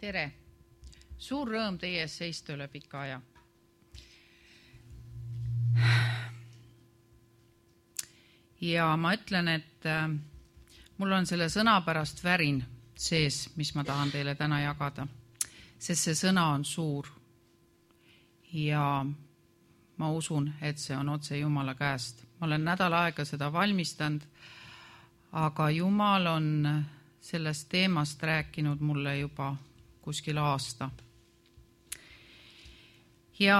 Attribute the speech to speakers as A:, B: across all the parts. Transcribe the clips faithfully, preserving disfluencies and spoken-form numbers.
A: Tere! Suur rõõm teie ees seista üle pika aja. Ja ma ütlen, et mul on selle sõna pärast värin sees, mis ma tahan teile täna jagada, sest see sõna on suur. Ja ma usun, et see on otse Jumala käest. Ma olen nädal aega seda valmistanud, aga Jumal on sellest teemast rääkinud mulle juba kuskil aasta. Ja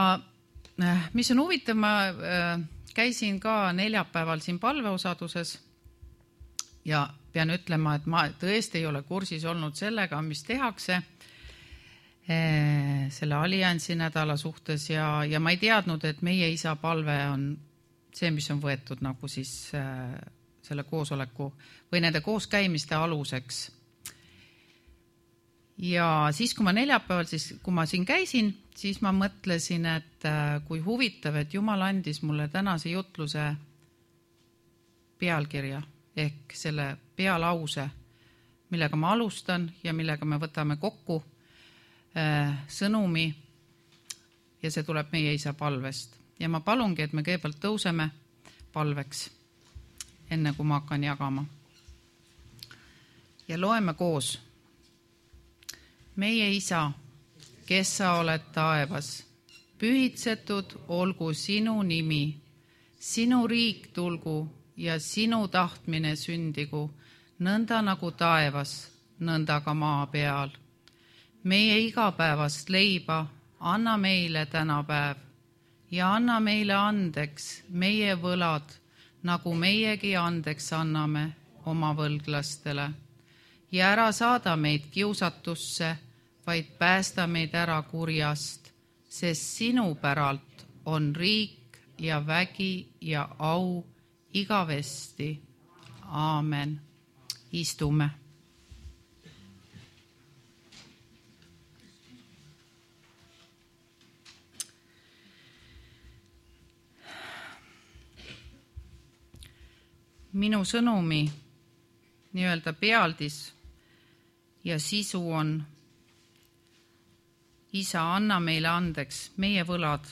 A: mis on huvitav, ma käisin ka neljapäeval siin palveosaduses ja pean ütlema, et ma tõesti ei ole kursis olnud sellega, mis tehakse selle alliansi nädala suhtes ja, ja ma ei teadnud, et meie isa palve on see, mis on võetud nagu siis selle koosoleku või nende kooskäimiste aluseks. Ja siis, kui ma neljapäeval, siis kui ma siin käisin, siis ma mõtlesin, et kui huvitav, et Jumal andis mulle tänase jutluse pealkirja ehk selle pealause, millega ma alustan ja millega me võtame kokku sõnumi ja see tuleb meie isa palvest. Ja ma palungi, et me kõigepealt tõuseme palveks, enne kui ma hakkan jagama. Ja loeme koos. Meie isa, kes sa oled taevas, pühitsetud olgu sinu nimi, sinu riik tulgu ja sinu tahtmine sündigu, nõnda nagu taevas, nõnda ka maa peal. Meie igapäevast leiba anna meile tänapäev ja anna meile andeks meie võlad, nagu meiegi andeks anname oma võlglastele. Ja ära saada meid kiusatusse, vaid päästa meid ära kurjast, sest sinu päralt on riik ja vägi ja au igavesti. Aamen. Istume. Minu sõnumi nii-öelda pealdis ja sisu on: isa, anna meile andeks meie võlad,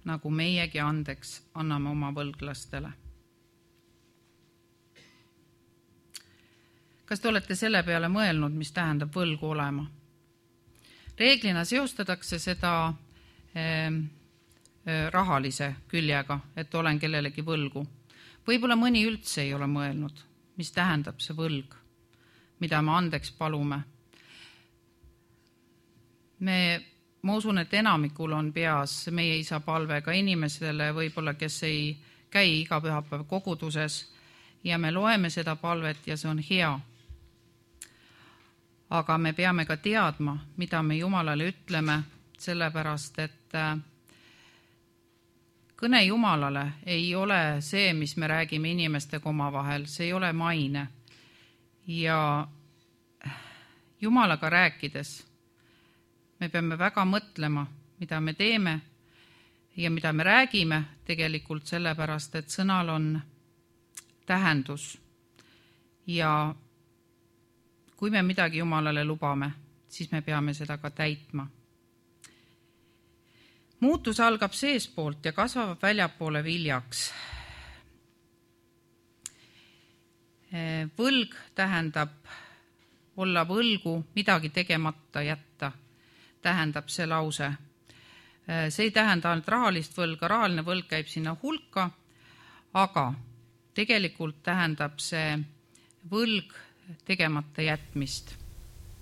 A: nagu meiegi andeks anname oma võlglastele. Kas te olete selle peale mõelnud, mis tähendab võlgu olema? Reeglina seostatakse seda eh, rahalise küljega, et olen kellelegi võlgu. Võib-olla mõni üldse ei ole mõelnud, mis tähendab see võlg, mida me andeks palume. Me, ma usun, et enamikul on peas meie isa palve ka inimesele, võib-olla kes ei käi iga pühapäev koguduses ja me loeme seda palvet ja see on hea. Aga me peame ka teadma, mida me Jumalale ütleme, sellepärast, et kõne Jumalale ei ole see, mis me räägime inimestega omavahel, see ei ole maine. Ja Jumalaga rääkides me peame väga mõtlema, mida me teeme ja mida me räägime tegelikult sellepärast, et sõnal on tähendus. Ja kui me midagi Jumalale lubame, siis me peame seda ka täitma. Muutus algab seespoolt ja kasvab väljapoole viljaks. Võlg tähendab olla võlgu, midagi tegemata jätta, tähendab see lause. See ei tähenda ainult rahalist võlga, rahaline võlg käib sinna hulka, aga tegelikult tähendab see võlg tegemata jätmist.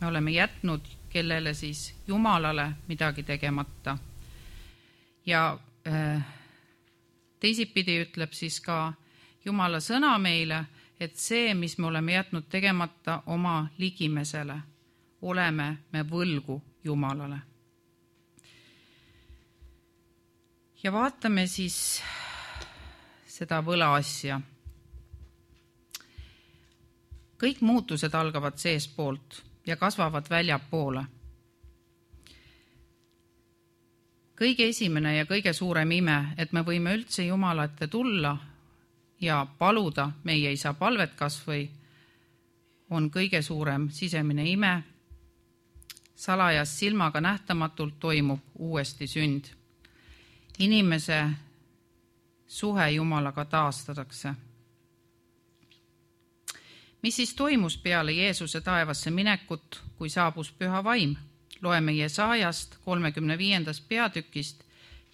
A: Me oleme jätnud kellele siis Jumalale midagi tegemata. Ja teisipidi ütleb siis ka Jumala sõna meile, et see, mis me oleme jätnud tegemata oma ligimesele, oleme me võlgu Jumalale. Ja vaatame siis seda võla asja. Kõik muutused algavad seespoolt ja kasvavad väljapoole. Kõige esimene ja kõige suurem ime, et me võime üldse Jumala ette tulla ja paluda meie isa palvet kas või, on kõige suurem sisemine ime, salajas silmaga nähtamatult toimub uuesti sünd. Inimese suhe Jumalaga taastatakse. Mis siis toimus peale Jeesuse taevasse minekut, kui saabus püha vaim? Loeme Jesaajast kolmekümne viiendast peatükist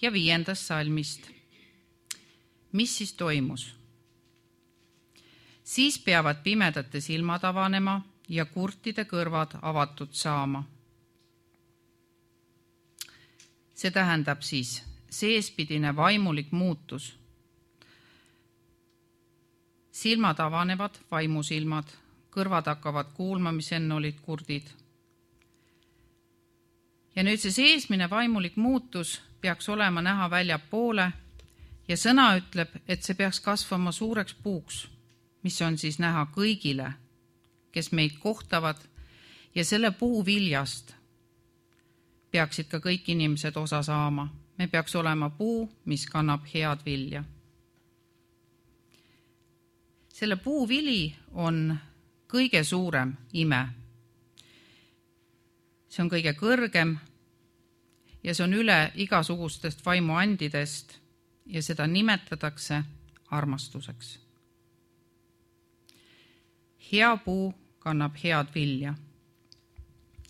A: ja viiendast salmist. Mis siis toimus? Siis peavad pimedate silmad avanema ja kurtide kõrvad avatud saama. See tähendab siis seespidine vaimulik muutus. Silmad avanevad, vaimusilmad, kõrvad hakkavad kuulma, mis enne olid kurdid. Ja nüüd see seesmine vaimulik muutus peaks olema näha väljapoole ja sõna ütleb, et see peaks kasvama suureks puuks, mis on siis näha kõigile, kes meid kohtavad, ja selle puu viljast peaksid ka kõik inimesed osa saama. Me peaks olema puu, mis kannab head vilja. Selle puu vili on kõige suurem ime. See on kõige kõrgem ja see on üle igasugustest vaimuandidest ja seda nimetatakse armastuseks. Hea puu kannab head vilja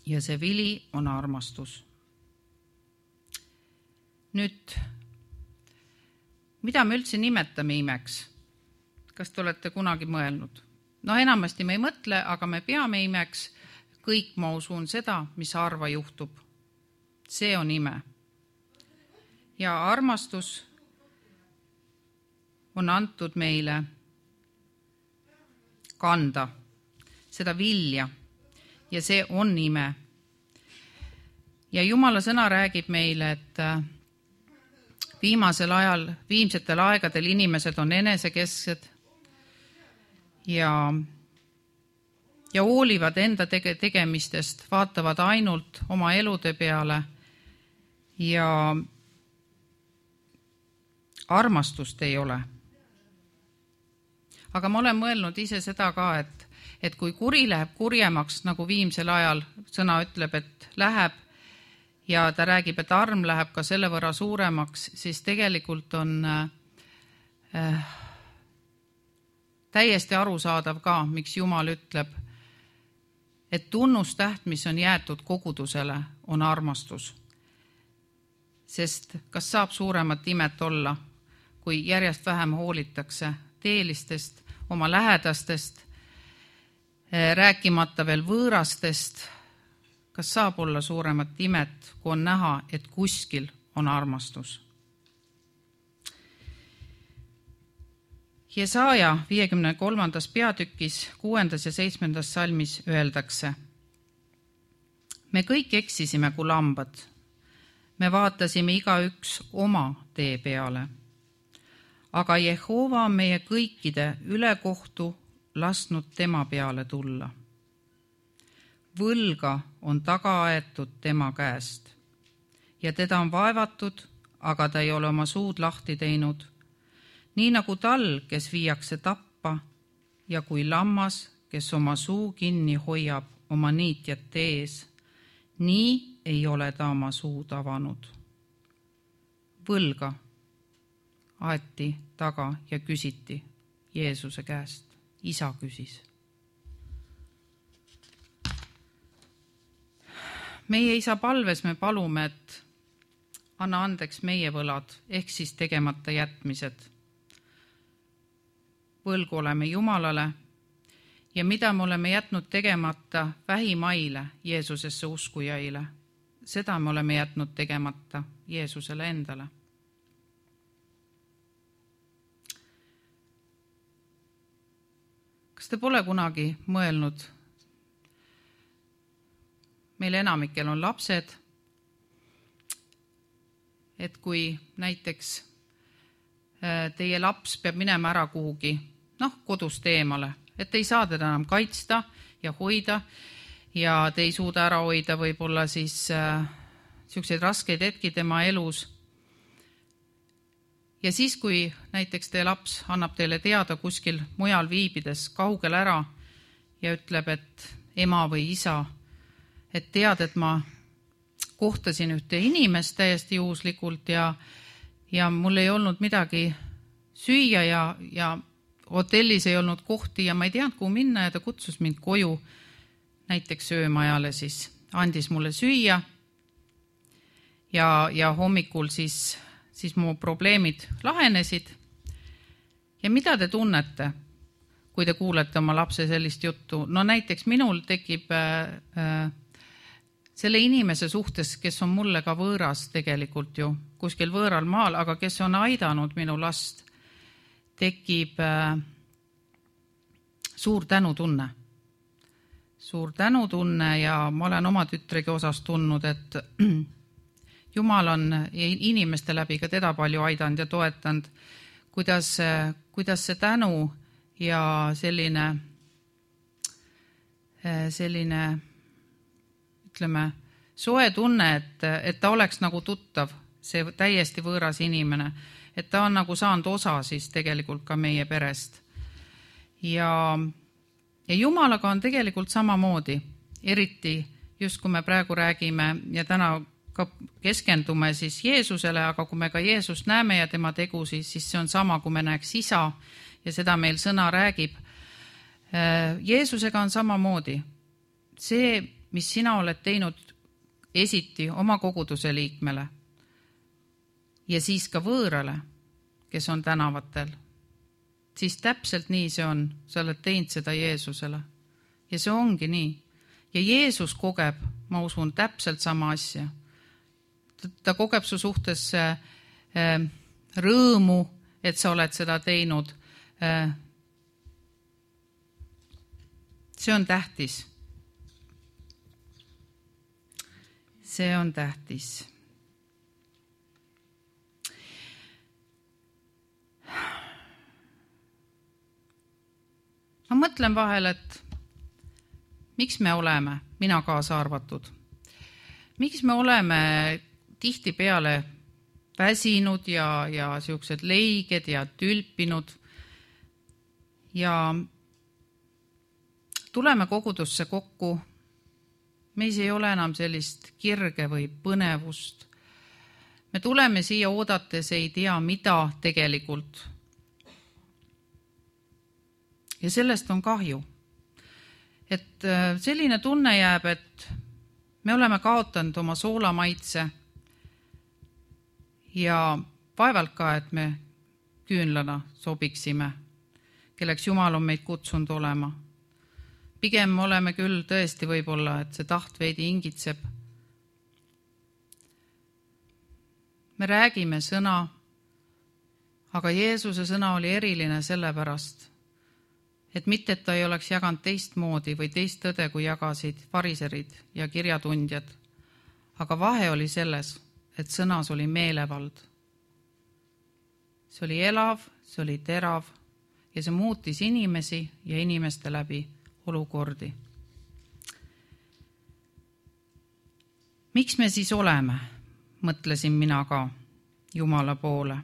A: ja see vili on armastus. Nüüd, mida me üldse nimetame imeks? Kas te olete kunagi mõelnud? No enamasti me ei mõtle, aga me peame imeks kõik, ma usun seda, mis harva juhtub. See on ime. Ja armastus on antud meile kanda seda vilja ja see on ime. Ja Jumala sõna räägib meile, et viimasel ajal, viimsetel aegadel inimesed on enesekesksed ja, ja hoolivad enda tege, tegemistest, vaatavad ainult oma elude peale ja armastust ei ole. Aga ma olen mõelnud ise seda ka, et, et kui kuri läheb kurjemaks, nagu viimsel ajal sõna ütleb, et läheb, ja ta räägib, et arm läheb ka selle võrra suuremaks, siis tegelikult on äh, täiesti arusaadav ka, miks Jumal ütleb, et tunnustäht, mis on jäetud kogudusele, on armastus. Sest kas saab suuremat imet olla, kui järjest vähem hoolitakse teelistest, oma lähedastest, äh, rääkimata veel võõrastest. Kas saab olla suuremat imet, kui on näha, et kuskil on armastus? Jesaja viiekümne kolmandas peatükis, kuuendas ja seitsmendas salmis öeldakse: Me kõik eksisime kui lambad. Me vaatasime igaüks oma tee peale. Aga Jehova on meie kõikide ülekohtu lasknud tema peale tulla. Võlga on taga aetud tema käest ja teda on vaevatud, aga ta ei ole oma suud lahti teinud. Nii nagu tal, kes viiakse tappa ja kui lammas, kes oma suu kinni hoiab oma niitjate ees, nii ei ole ta oma suud avanud. Võlga aeti taga ja küsiti Jeesuse käest. Isa küsis. Meie isa palves me palume, et anna andeks meie võlad, ehk siis tegemata jätmised. Võlgu oleme Jumalale ja mida me oleme jätnud tegemata vähimaile Jeesusesse uskujaile, seda me oleme jätnud tegemata Jeesusele endale. Kas te pole kunagi mõelnud, meil enamikel on lapsed, et kui näiteks teie laps peab minema ära kuhugi, noh, kodust eemale, et ei saa teda enam kaitsta ja hoida ja te ei suuda ära hoida võib-olla siis äh, selliseid raskeid hetki tema elus. Ja siis, kui näiteks teie laps annab teile teada kuskil mujal viibides kaugel ära ja ütleb, et ema või isa, et tead, et ma kohtasin ühte inimest täiesti juhuslikult ja, ja mul ei olnud midagi süüa ja, ja hotellis ei olnud kohti ja ma ei teadnud, kuhu minna ja ta kutsus mind koju näiteks öömajale, siis andis mulle süüa ja, ja hommikul siis, siis mu probleemid lahenesid. Ja mida te tunnete, kui te kuulete oma lapse sellist juttu? No näiteks minul tekib äh, äh, selle inimese suhtes, kes on mulle ka võõras tegelikult ju, kuskil võõral maal, aga kes on aidanud minu last, tekib äh, suur tänutunne. Suur tänutunne ja ma olen oma tütregi osas tundnud, et Jumal on inimeste läbi ka teda palju aidanud ja toetanud, kuidas, kuidas see tänu ja selline, selline ütleme, soe tunne, et, et ta oleks nagu tuttav, see täiesti võõras inimene, et ta on nagu saanud osa siis tegelikult ka meie perest. Ja, ja Jumalaga on tegelikult samamoodi, eriti just kui me praegu räägime ja täna ka keskendume siis Jeesusele, aga kui me ka Jeesust näeme ja tema tegusid, siis see on sama, kui me näeks isa ja seda meil sõna räägib. Jeesusega on samamoodi. See, mis sina oled teinud esiti oma koguduse liikmele ja siis ka võõrale, kes on tänavatel, siis täpselt nii see on. Sa oled teinud seda Jeesusele ja see ongi nii. Ja Jeesus kogeb, ma usun, täpselt sama asja. Ta kogeb su suhtes rõõmu, et sa oled seda teinud. See on tähtis. See on tähtis. Ma mõtlen vahel, et miks me oleme, mina kaasa arvatud, miks me oleme tihti peale väsinud ja, ja siuksed leiged ja tülpinud ja tuleme kogudusse kokku. Meis ei ole enam sellist kirge või põnevust. Me tuleme siia oodates ei tea mida tegelikult. Ja sellest on kahju. Et selline tunne jääb, et me oleme kaotanud oma soolamaitse ja vaevalt ka, et me küünlana sobiksime, kelleks Jumal on meid kutsunud olema. Pigem oleme küll tõesti võib-olla, et see taht veidi ingitseb. Me räägime sõna, aga Jeesuse sõna oli eriline sellepärast, et mitte, et ta ei oleks jaganud teistmoodi või teist tõde, kui jagasid fariserid ja kirjatundjad. Aga vahe oli selles, et sõnas oli meelevald. See oli elav, see oli terav ja see muutis inimesi ja inimeste läbi olukordi. Miks me siis oleme, mõtlesin mina ka Jumala poole.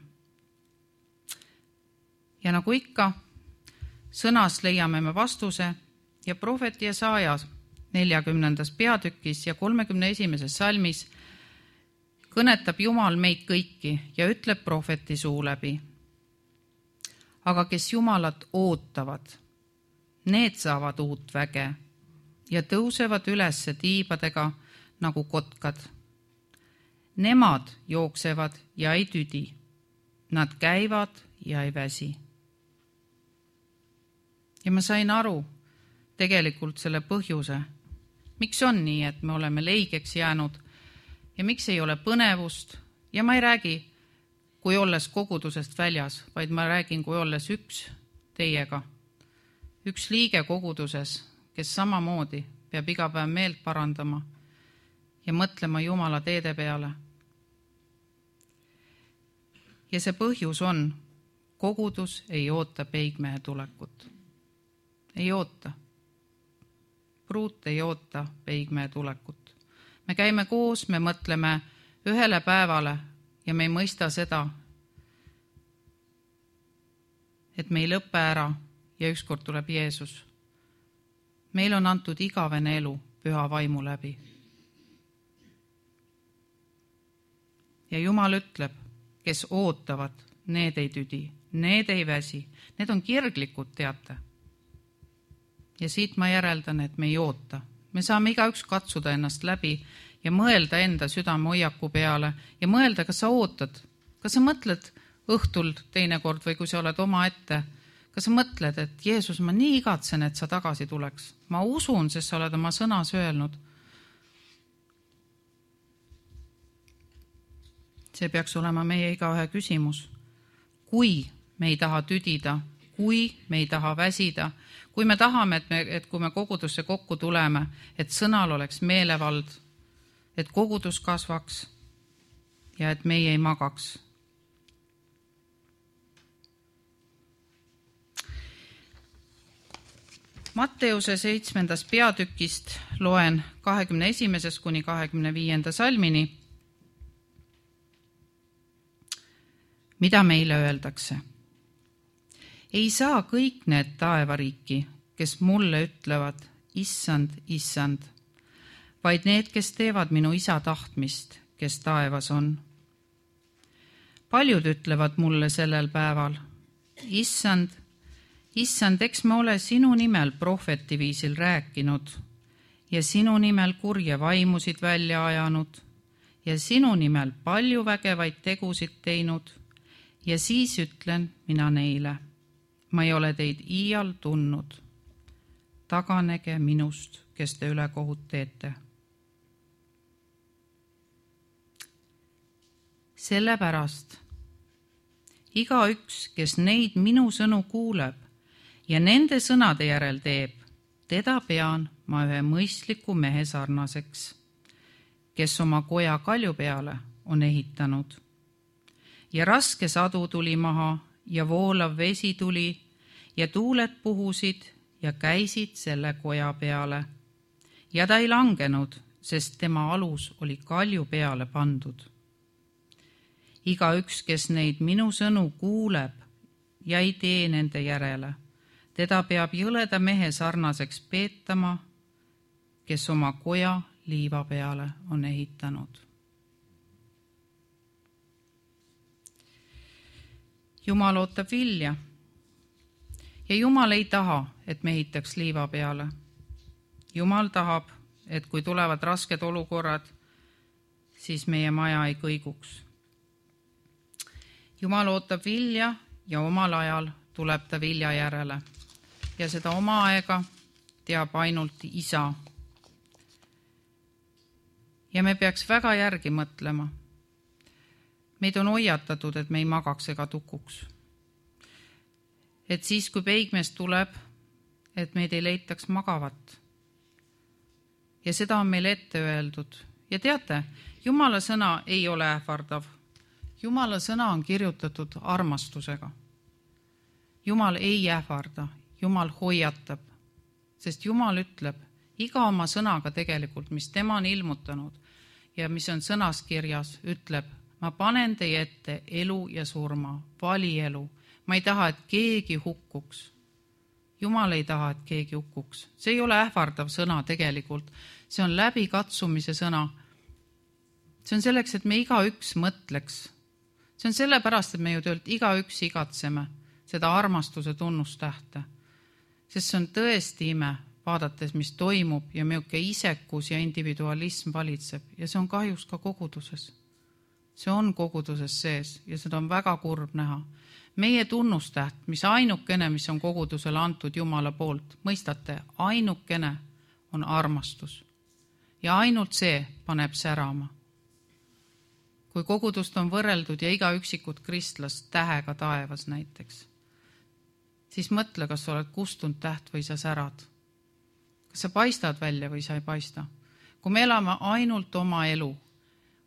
A: Ja nagu ikka, sõnas leiame me vastuse ja prohvet Jesaja neljakümnendas peatükis ja kolmekümne esimeses salmis kõnetab Jumal meid kõiki ja ütleb prohveti suu läbi. Aga kes Jumalat ootavad, need saavad uut väge ja tõusevad ülesse tiibadega nagu kotkad. Nemad jooksevad ja ei tüdi, nad käivad ja ei väsi. Ja ma sain aru tegelikult selle põhjuse, miks on nii, et me oleme leigeks jäänud ja miks ei ole põnevust. Ja ma ei räägi, kui olles kogudusest väljas, vaid ma räägin, kui olles üks teiega. Üks liige koguduses, kes samamoodi peab iga päev meelt parandama ja mõtlema Jumala teede peale. Ja see põhjus on, kogudus ei oota peigmehe tulekut. Ei oota. Pruut ei oota peigmehe tulekut. Me käime koos, me mõtleme ühele päevale ja me ei mõista seda, et me ei lõppe ära ja ükskord tuleb Jeesus. Meil on antud igavene elu püha vaimu läbi. Ja Jumal ütleb, kes ootavad, need ei tüdi, need ei väsi, need on kirglikud, teate. Ja siit ma järeldan, et me ei oota. Me saame igaüks katsuda ennast läbi ja mõelda enda südame hoiaku peale ja mõelda, kas sa ootad, kas sa mõtled õhtul teinekord või kui sa oled oma ette, kas sa mõtled, et Jeesus, ma nii igatsen, et sa tagasi tuleks. Ma usun, sest sa oled oma sõnas öelnud. See peaks olema meie igaühe küsimus. Kui me ei taha tüdida, kui me ei taha väsida, kui me tahame, et, me, et kui me kogudusse kokku tuleme, et sõnal oleks meelevald, et kogudus kasvaks ja et meie ei magaks. Matteuse seitsmendas peatükist loen kahekümne esimesest kuni kahekümne viienda salmini, mida meile öeldakse. Ei saa kõik need taevariiki, kes mulle ütlevad, issand, issand, vaid need, kes teevad minu isa tahtmist, kes taevas on. Paljud ütlevad mulle sellel päeval, issand, issand, eks me ole sinu nimel prohveti viisil rääkinud ja sinu nimel kurje vaimusid välja ajanud ja sinu nimel palju vägevaid tegusid teinud ja siis ütlen mina neile, ma ei ole teid iial tundnud. Taganege minust, kes te ülekohut teete. Sellepärast igaüks, kes neid minu sõnu kuuleb ja nende sõnade järel teeb, teda pean ma ühe mõistliku mehe sarnaseks, kes oma koja kalju peale on ehitanud. Ja raske sadu tuli maha ja voolav vesi tuli ja tuuled puhusid ja käisid selle koja peale. Ja ta ei langenud, sest tema alus oli kalju peale pandud. Igaüks, kes neid minu sõnu kuuleb ja ei tee nende järele, teda peab jõleda mehe sarnaseks peetama, kes oma koja liiva peale on ehitanud. Jumal ootab vilja ja Jumal ei taha, et me ehitaks liiva peale. Jumal tahab, et kui tulevad rasked olukorrad, siis meie maja ei kõiguks. Jumal ootab vilja ja omal ajal tuleb ta vilja järele ja seda oma aega teab ainult isa. Ja me peaks väga järgi mõtlema. Meid on hoiatatud, et me ei magaks ega tukuks. Et siis, kui peigmees tuleb, et meid ei leitaks magavat. Ja seda on meil ette öeldud. Ja teate, Jumala sõna ei ole ähvardav. Jumala sõna on kirjutatud armastusega. Jumal ei ähvarda, Jumal hoiatab, sest Jumal ütleb iga oma sõnaga tegelikult, mis tema on ilmutanud ja mis on sõnas kirjas, ütleb, ma panen teie ette elu ja surma, vali elu. Ma ei taha, et keegi hukkuks. Jumal ei taha, et keegi hukkuks. See ei ole ähvardav sõna tegelikult. See on läbikatsumise sõna. See on selleks, et me igaüks mõtleks. See on sellepärast, et me ju töölt igaüks igatseme seda armastuse tunnustähte. Sest see on tõesti ime, vaadates, mis toimub ja milline isekus ja individualism valitseb. Ja see on kahjuks ka koguduses. See on koguduses sees ja seda on väga kurb näha. Meie tunnustäht, mis ainukene, mis on kogudusele antud Jumala poolt, mõistate, ainukene on armastus. Ja ainult see paneb särama. Kui kogudust on võrreldud ja iga üksikut kristlast tähega taevas näiteks, siis mõtle, kas sa oled kustunud täht või sa särad. Kas sa paistad välja või sa ei paista. Kui me elame ainult oma elu,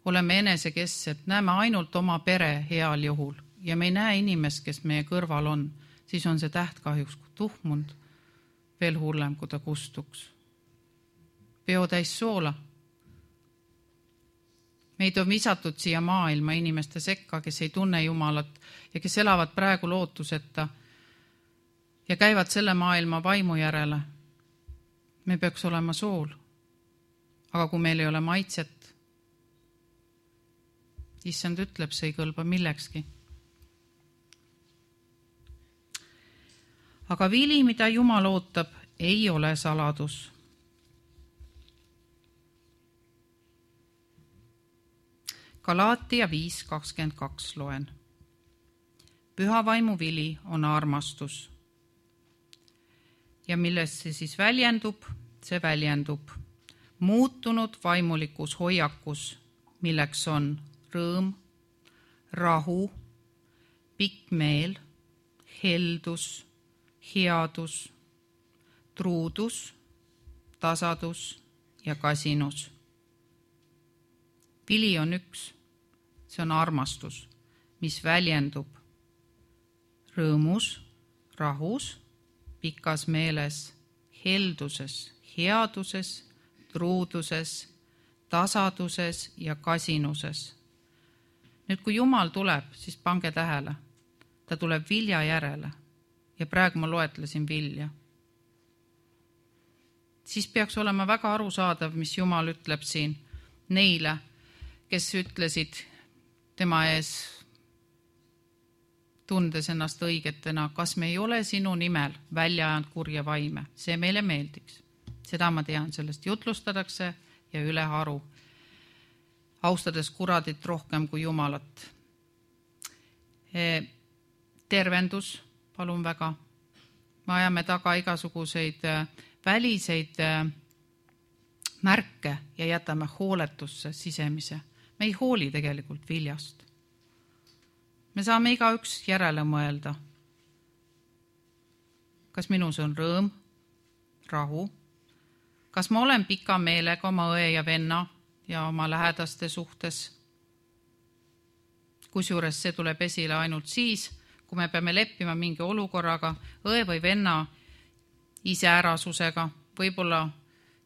A: oleme enesekestsed, näeme ainult oma pere heal juhul ja me ei näe inimest, kes meie kõrval on, siis on see täht kahjuks tuhmund veel hullem, kui ta kustuks. Peo täis soola. Meid on visatud siia maailma inimeste sekka, kes ei tunne Jumalat ja kes elavad praegu lootuseta ja käivad selle maailma vaimu järele. Me peaks olema sool, aga kui meil ei ole maitset, issand ütleb, see ei kõlba millekski. Aga vili, mida Jumal ootab, ei ole saladus. Galaatia viis kakskümmend kaks loen. Püha vaimu vili on armastus. Ja millest see siis väljendub? See väljendub muutunud vaimulikus hoiakus, milleks on rõõm, rahu, pikk meel, heldus, headus, truudus, tasadus ja kasinus. Vili on üks, see on armastus, mis väljendub rõõmus, rahus, pikas meeles, helduses, headuses, truuduses, tasaduses ja kasinuses. Nüüd, kui Jumal tuleb, siis pange tähele, ta tuleb vilja järele ja praegu ma loetlesin vilja. Siis peaks olema väga arusaadav, mis Jumal ütleb siin neile, kes ütlesid tema ees, tundes ennast õigetena, kas me ei ole sinu nimel välja ajanud kurja vaime. See meile meeldiks. Seda ma tean, sellest jutlustadakse ja üle haru, austades kuradit rohkem kui Jumalat. Tervendus, palun väga. Me ajame taga igasuguseid väliseid märke ja jätame hooletusse sisemise. Me ei hooli tegelikult viljast. Me saame igaüks järele mõelda. Kas minus on rõõm, rahu? Kas ma olen pika meelega oma õe ja venna ja oma lähedaste suhtes? Kusjuures see tuleb esile ainult siis, kui me peame leppima mingi olukorraga, õe või venna iseärasusega, võib-olla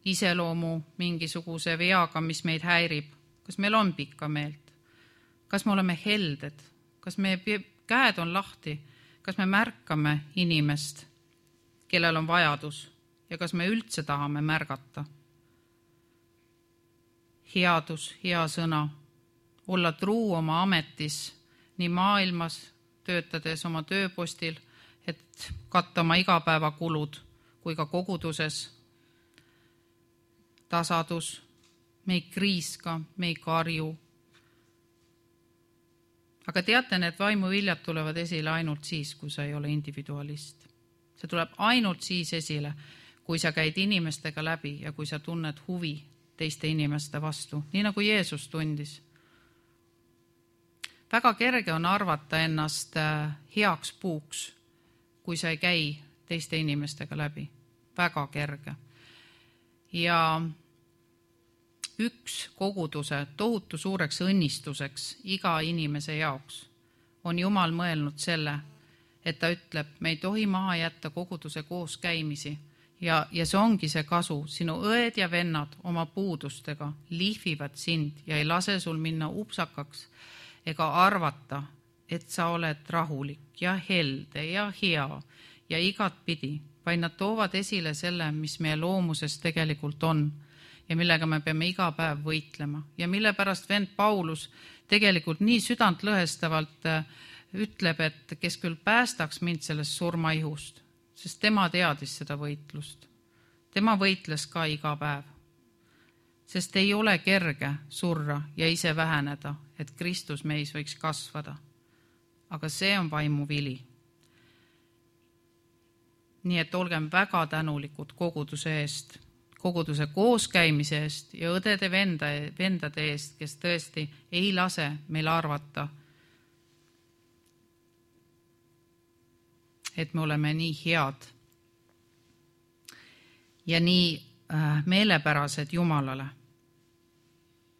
A: iseloomu mingisuguse veaga, mis meid häirib. Kas meil on pikka meelt? Kas me oleme helded? Kas meie käed on lahti? Kas me märkame inimest, kellel on vajadus? Ja kas me üldse tahame märgata? Headus, hea sõna, olla truu oma ametis, nii maailmas töötades oma tööpostil, et katta oma igapäevakulud, kui ka koguduses. Tasadus, me ei kriiska, me ei karju. Aga teate, need vaimuviljad tulevad esile ainult siis, kui sa ei ole individualist. See tuleb ainult siis esile, kui sa käid inimestega läbi ja kui sa tunned huvi teiste inimeste vastu, nii nagu Jeesus tundis. Väga kerge on arvata ennast heaks puuks, kui sa ei käi teiste inimestega läbi. Väga kerge. Ja üks koguduse tohutu suureks õnnistuseks iga inimese jaoks on Jumal mõelnud selle, et ta ütleb, me ei tohi maha jätta koguduse koos käimisi. Ja, ja see ongi see kasu. Sinu õed ja vennad oma puudustega lihvivad sind ja ei lase sul minna upsakaks ega arvata, et sa oled rahulik ja helde ja hea ja igat pidi, vaid nad toovad esile selle, mis meie loomuses tegelikult on ja millega me peame iga päev võitlema. Ja mille pärast vend Paulus tegelikult nii südantlõhestavalt ütleb, et kes küll päästaks mind sellest surmaihust, sest tema teadis seda võitlust. Tema võitles ka iga päev. Sest ei ole kerge surra ja ise väheneda, et Kristus meis võiks kasvada. Aga see on vaimu vili. Nii et olgem väga tänulikud koguduse eest, koguduse kooskäimise eest ja õdede venda, vendade eest, kes tõesti ei lase meil arvata, et me oleme nii head ja nii meelepärased Jumalale.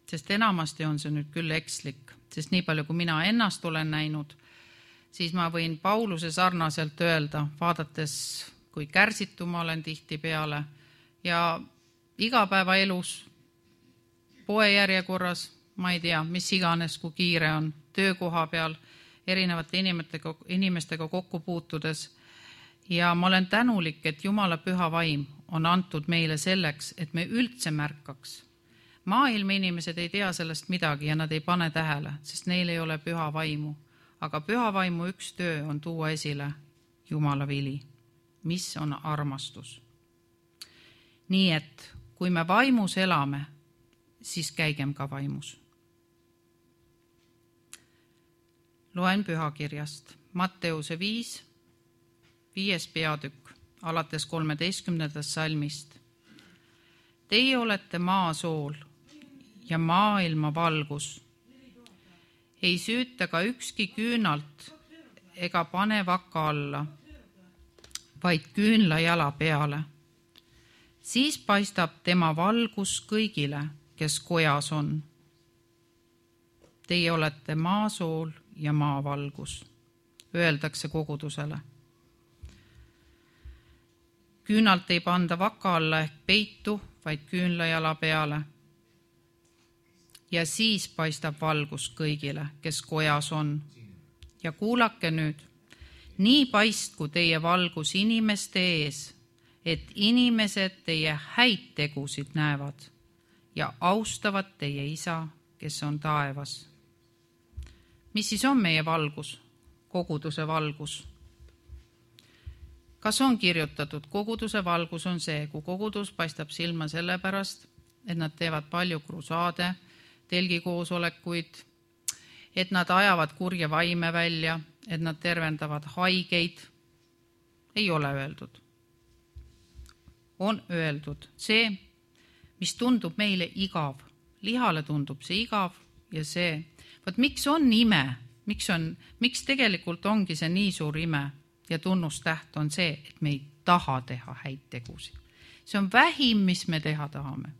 A: Sest enamasti on see nüüd küll ekslik, sest nii palju, kui mina ennast olen näinud, siis ma võin Pauluse sarnaselt öelda, vaadates, kui kärsitu ma olen tihti peale ja igapäevaelus, poe järjekorras, ma ei tea, mis iganes, kui kiire on, töökoha peal, erinevate inimestega, inimestega kokku puutudes. Ja ma olen tänulik, et Jumala püha vaim on antud meile selleks, et me üldse märkaks Maailma inimesed ei tea sellest midagi ja nad ei pane tähele, sest neil ei ole püha vaimu. Aga püha vaimu üks töö on tuua esile Jumala vili, mis on armastus. Nii et kui me vaimus elame, siis käigem ka vaimus. Loen pühakirjast Matteuse viis, viies peatükk, alates kolmeteistkümnendast salmist. Teie olete maa sool ja maailma valgus. Ei süüta ka ükski küünalt ega pane vaka alla, vaid küünla jala peale. Siis paistab tema valgus kõigile, kes kojas on. Teie olete maa sool ja maa valgus, öeldakse kogudusele. Küünalt ei panda vaka alla ehk peitu, vaid küünla jala peale. Ja siis paistab valgus kõigile, kes kojas on. Ja kuulake nüüd, nii paistku teie valgus inimeste ees, et inimesed teie häid tegusid näevad ja austavad teie isa, kes on taevas. Mis siis on meie valgus, koguduse valgus? Kas on kirjutatud, koguduse valgus on see, kui kogudus paistab silma sellepärast, et nad teevad palju krusaade, telgikoosolekuid, et nad ajavad kurja vaime välja, et nad tervendavad haigeid. Ei ole öeldud. On öeldud see, mis tundub meile igav. Lihale tundub see igav ja see. Vaat miks on ime? Miks, on, miks tegelikult ongi see nii suur ime? Ja tunnustäht on see, et me ei taha teha häid tegusid. See on vähim, mis me teha tahame.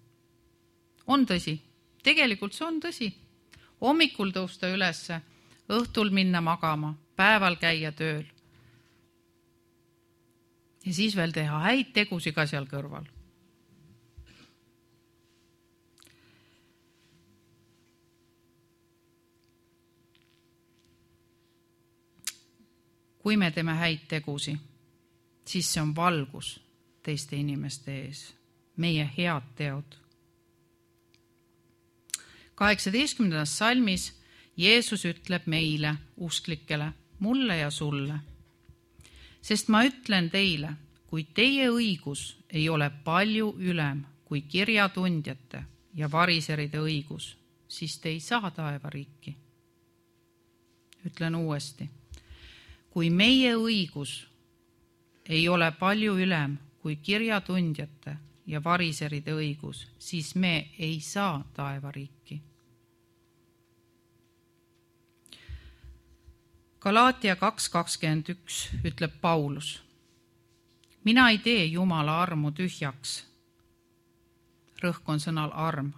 A: On tõsi. Tegelikult see on tõsi. Hommikul tõusta ülesse, õhtul minna magama, päeval käia tööl. Ja siis veel teha häid tegusid ka seal kõrval. Kui me teeme häid tegusi, siis see on valgus teiste inimeste ees, meie head teod. kaheksateistkümnendas salmis Jeesus ütleb meile, usklikele, mulle ja sulle. Sest ma ütlen teile, kui teie õigus ei ole palju ülem kui kirjatundjate ja variseride õigus, siis te ei saa taevariiki. Ütlen uuesti. Kui meie õigus ei ole palju ülem kui kirjatundjate ja variseride õigus, siis me ei saa taevariiki. Galaatia kaks kakskümmend üks ütleb Paulus. Mina ei tee Jumala armu tühjaks. Rõhk on sõnal arm.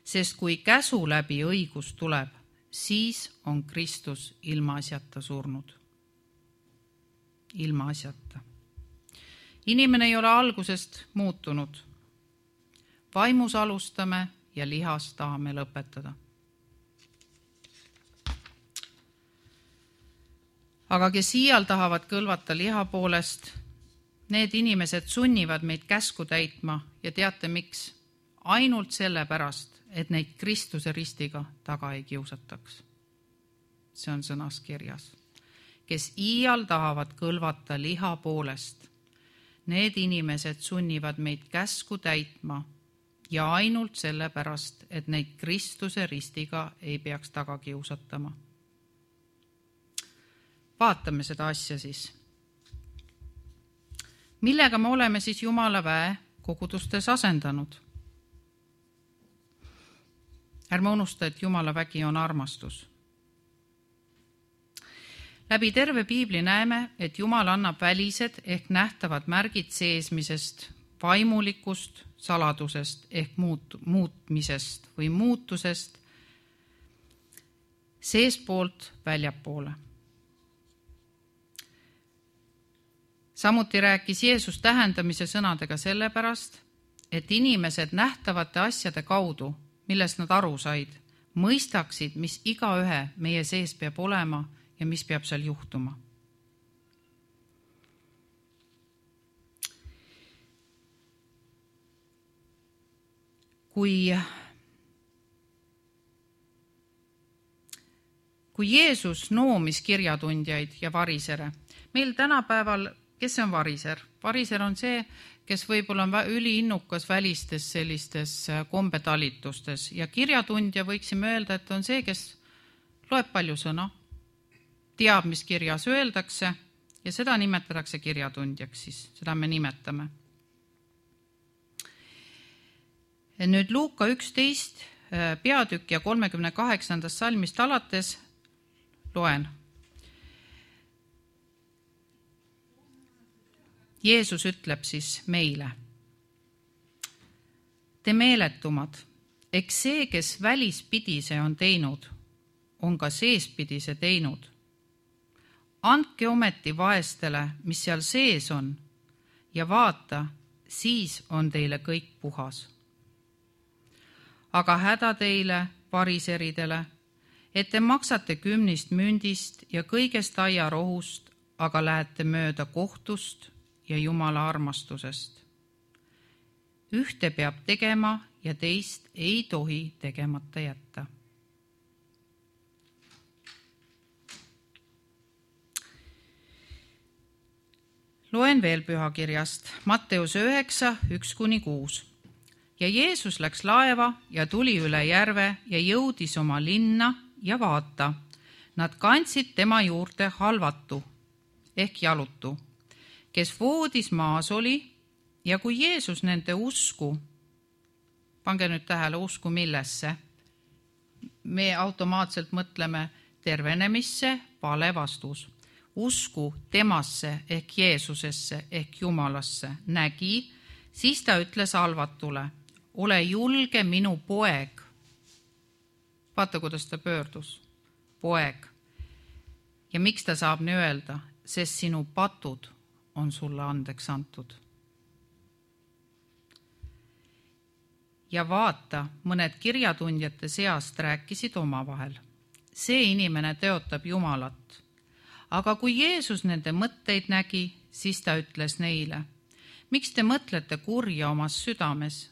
A: Sest kui käsu läbi õigus tuleb, siis on Kristus ilmaasjata surnud. Ilma asjata. Inimene ei ole algusest muutunud. Vaimus alustame ja lihas tahame lõpetada. Aga kes iial tahavad kõlvata liha poolest, need inimesed sunnivad meid käsku täitma ja teate miks? Ainult sellepärast, et neid Kristuse ristiga taga ei kiusataks. See on sõnas kirjas. Kes iial tahavad kõlvata liha poolest, need inimesed sunnivad meid käsku täitma ja ainult sellepärast, et neid Kristuse ristiga ei peaks taga kiusatama. Vaatame seda asja siis. Millega me oleme siis Jumala väe kogudustes asendanud? Ärme unusta, et Jumala vägi on armastus. Läbi terve piibli näeme, et Jumal annab välised ehk nähtavad märgid seesmisest, vaimulikust, saladusest ehk muut, muutmisest või muutusest seespoolt väljapoole. Samuti rääkis Jeesus tähendamise sõnadega sellepärast, et inimesed nähtavate asjade kaudu, millest nad aru said, mõistaksid, mis igaühe meie sees peab olema ja mis peab seal juhtuma. Kui kui Jeesus noomis kirjatundjaid ja varisere. Meil tänapäeval, kes on variser? Variser on see, kes võib-olla on üliinnukas välistes sellistes kombetalitustes ja kirjatundja võiksime öelda, et on see, kes loeb palju sõna, teab, mis kirjas öeldakse ja seda nimetatakse kirjatundjaks, siis seda me nimetame. Nüüd Luuka üksteist peatükk ja kolmekümne kaheksandast salmist alates loen. Jeesus ütleb siis meile. Te meeletumad, eks see, kes välispidise on teinud, on ka seespidise teinud. Andke ometi vaestele, mis seal sees on, ja vaata, siis on teile kõik puhas. Aga häda teile, variseridele, et te maksate kümnist mündist ja kõigest aiarohust, aga lähete mööda kohtust ja Jumala armastusest. Ühte peab tegema ja teist ei tohi tegemata jätta. Loen veel pühakirjast, Matteuse üheksa, üks kuni kuus. Ja Jeesus läks laeva ja tuli üle järve ja jõudis oma linna ja vaata. Nad kandsid tema juurde halvatu ehk jalutu, kes voodis maas oli ja kui Jeesus nende usku, pange nüüd tähele usku millesse, me automaatselt mõtleme tervenemisse, vale vastus. Usku temasse ehk Jeesusesse ehk Jumalasse nägi, siis ta ütles halvatule, ole julge minu poeg. Vaata, kuidas ta pöördus. Poeg. Ja miks ta saab nii öelda? Sest sinu patud on sulle andeks antud. Ja vaata, mõned kirjatundjate seast rääkisid omavahel. See inimene teotab Jumalat. Aga kui Jeesus nende mõtteid nägi, siis ta ütles neile, miks te mõtlete kurja omas südames?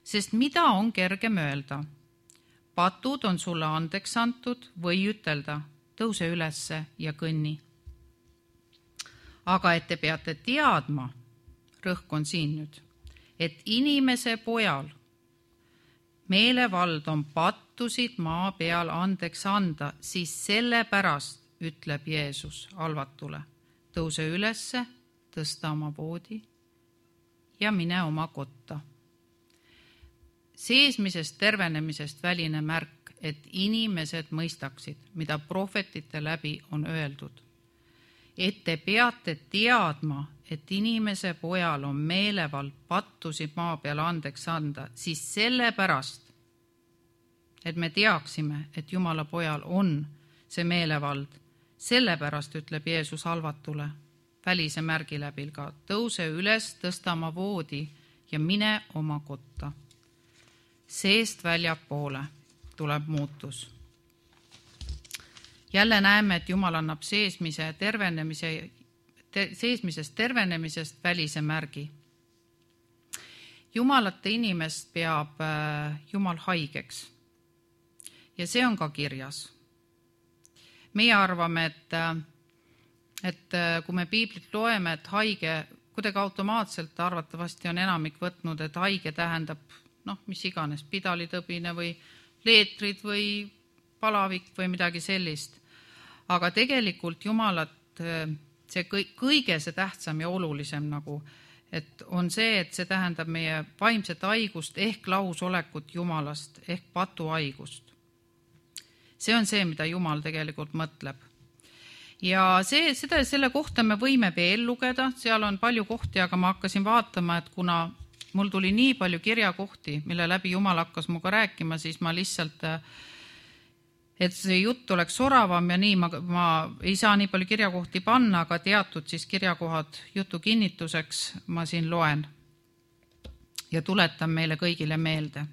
A: Sest mida on kergem öelda? Patud on sulle andeks antud või ütelda, tõuse ülesse ja kõnni. Aga et te peate teadma, rõhk on siin nüüd, et inimese pojal meelevald on pattusid maa peal andeks anda, siis sellepärast ütleb Jeesus halvatule, tõuse ülesse, tõsta oma voodi ja mine oma kotta. Seesmisest tervenemisest väline märk, et inimesed mõistaksid, mida prohvetite läbi on öeldud. Et te peate teadma, et inimese pojal on meelevald pattusid maa peal andeks anda, siis sellepärast, et me teaksime, et Jumala pojal on see meelevald, sellepärast ütleb Jeesus halvatule, välise märgi läbi ka, tõuse üles, tõsta oma voodi ja mine oma kotta. Seest väljapoole tuleb muutus. Jälle näeme, et Jumal annab seesmise tervenemise, te, seesmisest tervenemisest välise märgi. Jumalate inimest peab Jumal haigeks ja see on ka kirjas. Meie arvame, et, et kui me piiblit loeme, et haige, kuidagi automaatselt arvatavasti on enamik võtnud, et haige tähendab, noh, mis iganes, pidalitõbine või leetrid või palavik või midagi sellist. Aga tegelikult Jumalat, see kõige see tähtsam ja olulisem nagu, et on see, et see tähendab meie vaimset haigust ehk lausolekut Jumalast ehk patuhaigust. See on see, mida Jumal tegelikult mõtleb. Ja see, seda, selle kohta me võime veel lugeda, seal on palju kohti, aga ma hakkasin vaatama, et kuna mul tuli nii palju kirjakohti, mille läbi Jumal hakkas muga rääkima, siis ma lihtsalt, et see jutt oleks soravam ja nii, ma, ma ei saa nii palju kirjakohti panna, aga teatud siis kirjakohad jutu kinnituseks ma siin loen ja tuletan meile kõigile meelde.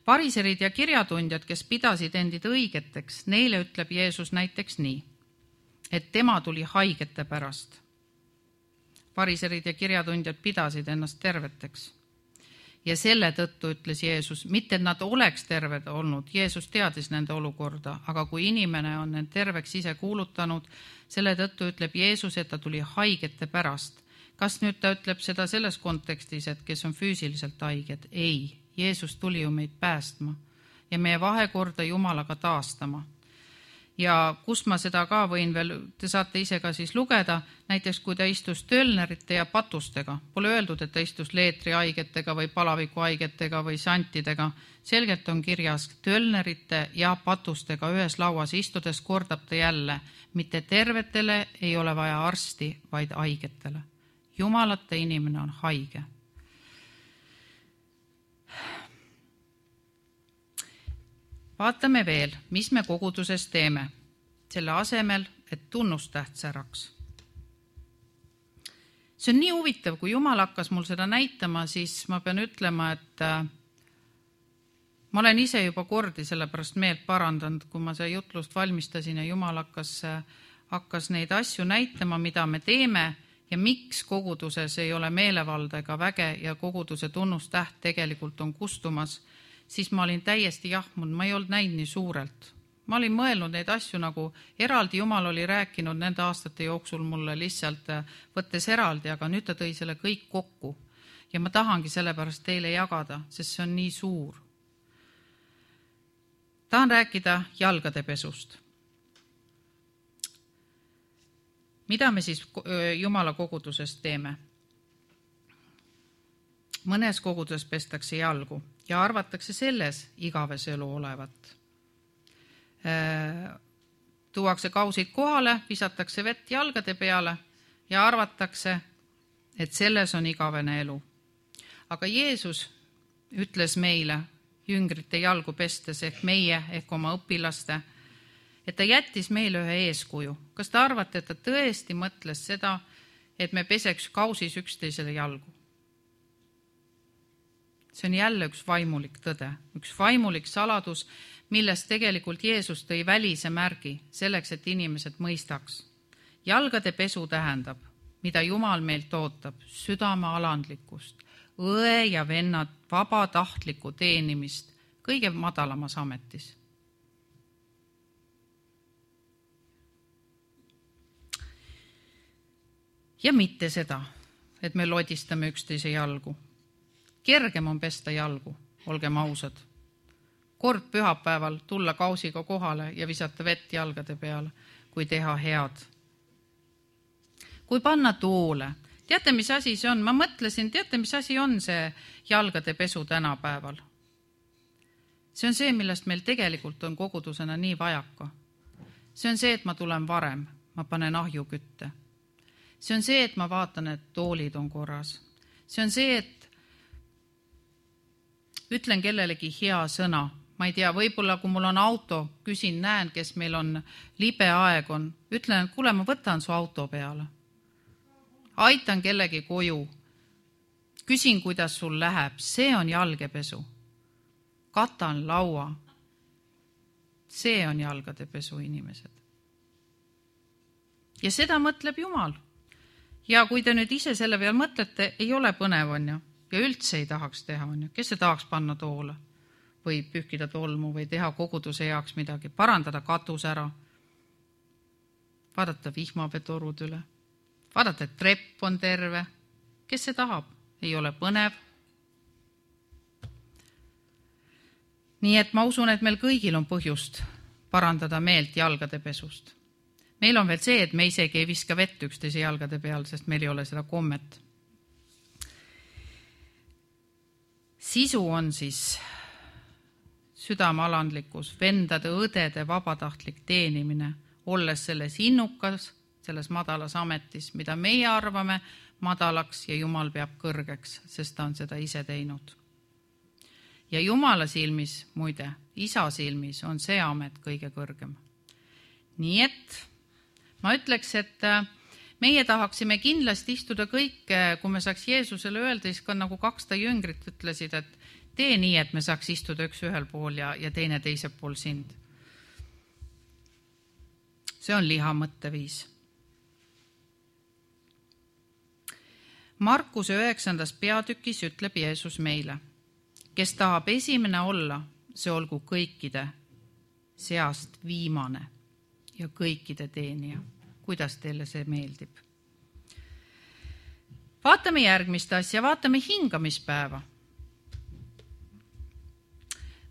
A: Variserid ja kirjatundjad, kes pidasid endid õigeteks, neile ütleb Jeesus näiteks nii, et tema tuli haigete pärast. Variserid ja kirjatundjad pidasid ennast terveteks. Ja selle tõttu ütles Jeesus, mitte et nad oleks terved olnud, Jeesus teadis nende olukorda, aga kui inimene on need terveks ise kuulutanud, selle tõttu ütleb Jeesus, et ta tuli haigete pärast. Kas nüüd ta ütleb seda selles kontekstis, et kes on füüsiliselt haiged? Ei, Jeesus tuli ju meid päästma ja meie vahekorda Jumalaga taastama. Ja kus ma seda ka võin veel, te saate ise ka siis lugeda, näiteks kui ta istus tölnerite ja patustega, pole öeldud, et ta istus leetri haigetega või palaviku haigetega või santidega, selgelt on kirjas tölnerite ja patustega ühes lauas istudes kordab ta jälle, mitte tervetele ei ole vaja arsti, vaid haigetele. Jumalate inimene on haige. Vaatame veel, mis me koguduses teeme, selle asemel, et tunnustäht säraks. See on nii huvitav, kui Jumal hakkas mul seda näitama, siis ma pean ütlema, et ma olen ise juba kordi sellepärast meelt parandanud, kui ma see jutlust valmistasin ja Jumal hakkas, hakkas neid asju näitama, mida me teeme ja miks koguduses ei ole meelevalda ega väge ja koguduse tunnustäht tegelikult on kustumas, siis ma olin täiesti jahmunud, ma ei olnud näinud nii suurelt. Ma olin mõelnud neid asju nagu eraldi, Jumal oli rääkinud nende aastate jooksul mulle lihtsalt võttes eraldi, aga nüüd ta tõi selle kõik kokku. Ja ma tahangi sellepärast teile jagada, sest see on nii suur. Tahan rääkida jalgade pesust. Mida me siis Jumala koguduses teeme? Mõnes koguduses pestakse jalgu ja arvatakse selles igaves elu olevat. Tuuakse kausid kohale, visatakse vett jalgade peale ja arvatakse, et selles on igavene elu. Aga Jeesus ütles meile jüngrite jalgu pestes ehk meie ehk oma õpilaste, et ta jättis meile ühe eeskuju. Kas te arvate, et ta tõesti mõtles seda, et me peseks kausis üksteisele jalgu? See on jälle üks vaimulik tõde, üks vaimulik saladus, millest tegelikult Jeesus tõi välise märgi selleks, et inimesed mõistaks. Jalgade pesu tähendab, mida Jumal meilt ootab, südame alandlikkust, õe ja vennad vabatahtlikku teenimist kõige madalamas ametis. Ja mitte seda, et me lodistame üksteise jalgu. Kergem on pesta jalgu, olgem ausad. Kord pühapäeval tulla kausiga kohale ja visata vett jalgade peale, kui teha head. Kui panna toole, teate, mis asi see on? Ma mõtlesin, teate, mis asi on see jalgade pesu tänapäeval? See on see, millest meil tegelikult on kogudusena nii vajaka. See on see, et ma tulen varem, ma panen ahju kütte. See on see, et ma vaatan, et toolid on korras. See on see, et ütlen kellelegi hea sõna. Ma ei tea, võib-olla kui mul on auto, küsin, näen, kes meil on libe aeg on. Ütlen, et kuule, ma võtan su auto peale. Aitan kellegi koju. Küsin, kuidas sul läheb. See on jalgepesu. Katan laua. See on jalgade pesu, inimesed. Ja seda mõtleb Jumal. Ja kui te nüüd ise selle peal mõtlete, ei ole põnev, on ju. Ja üldse ei tahaks teha, on ju. Kes see tahaks panna toole või pühkida tolmu või teha koguduse heaks midagi, parandada katus ära, vaadata vihmaveetorud üle, vaadata, et trepp on terve. Kes see tahab? Ei ole põnev. Nii et ma usun, et meil kõigil on põhjust parandada meelt jalgade pesust. Meil on veel see, et me isegi ei viska vett üksteise jalgade peal, sest meil ei ole seda kommet. Sisu on siis südamealandlikkus, vendade, õdede vabatahtlik teenimine, olles selles innukas, selles madalas ametis, mida meie arvame madalaks ja Jumal peab kõrgeks, sest ta on seda ise teinud. Ja Jumala silmis, muide, isa silmis on see amet kõige kõrgem. Nii et ma ütleks, et meie tahaksime kindlasti istuda kõik, kui me saaks Jeesusele öelda, siis ka nagu kaksta jüngrit ütlesid, et tee nii, et me saaks istuda üks ühel pool ja, ja teine teise pool sind. See on liha mõtteviis. Markuse üheksandas peatükis ütleb Jeesus meile, kes tahab esimene olla, see olgu kõikide seast viimane ja kõikide teenija. Kuidas teile see meeldib? Vaatame järgmist asja, vaatame hingamispäeva.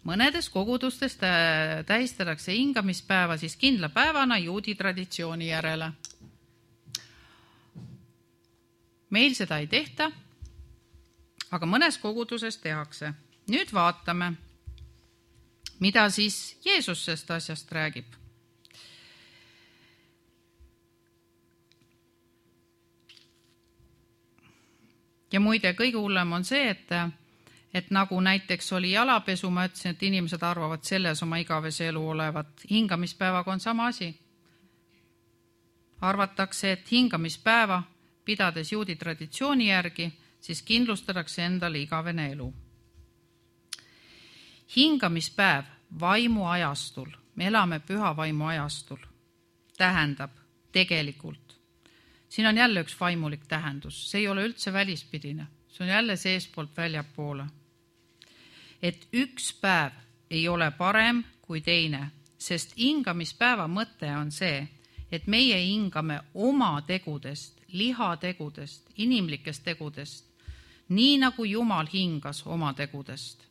A: Mõnedes kogudustes tähistatakse hingamispäeva siis kindla päevana juudi traditsiooni järele. Meil seda ei tehta, aga mõnes koguduses tehakse. Nüüd vaatame, mida siis Jeesus sest asjast räägib. Ja muide, kõige hullem on see, et, et nagu näiteks oli jalapesu, ma ütlesin, et inimesed arvavad selles oma igavese elu olevat. Hingamispäevaga on sama asi. Arvatakse, et hingamispäeva, pidades juudi traditsiooni järgi, siis kindlustatakse endale igavene elu. Hingamispäev vaimu ajastul, me elame püha vaimu ajastul, tähendab tegelikult. Siin on jälle üks vaimulik tähendus, see ei ole üldse välispidine, see on jälle seespoolt väljapoole. Et üks päev ei ole parem kui teine, sest hingamispäeva mõte on see, et meie hingame oma tegudest, lihategudest, inimlikest tegudest, nii nagu Jumal hingas oma tegudest.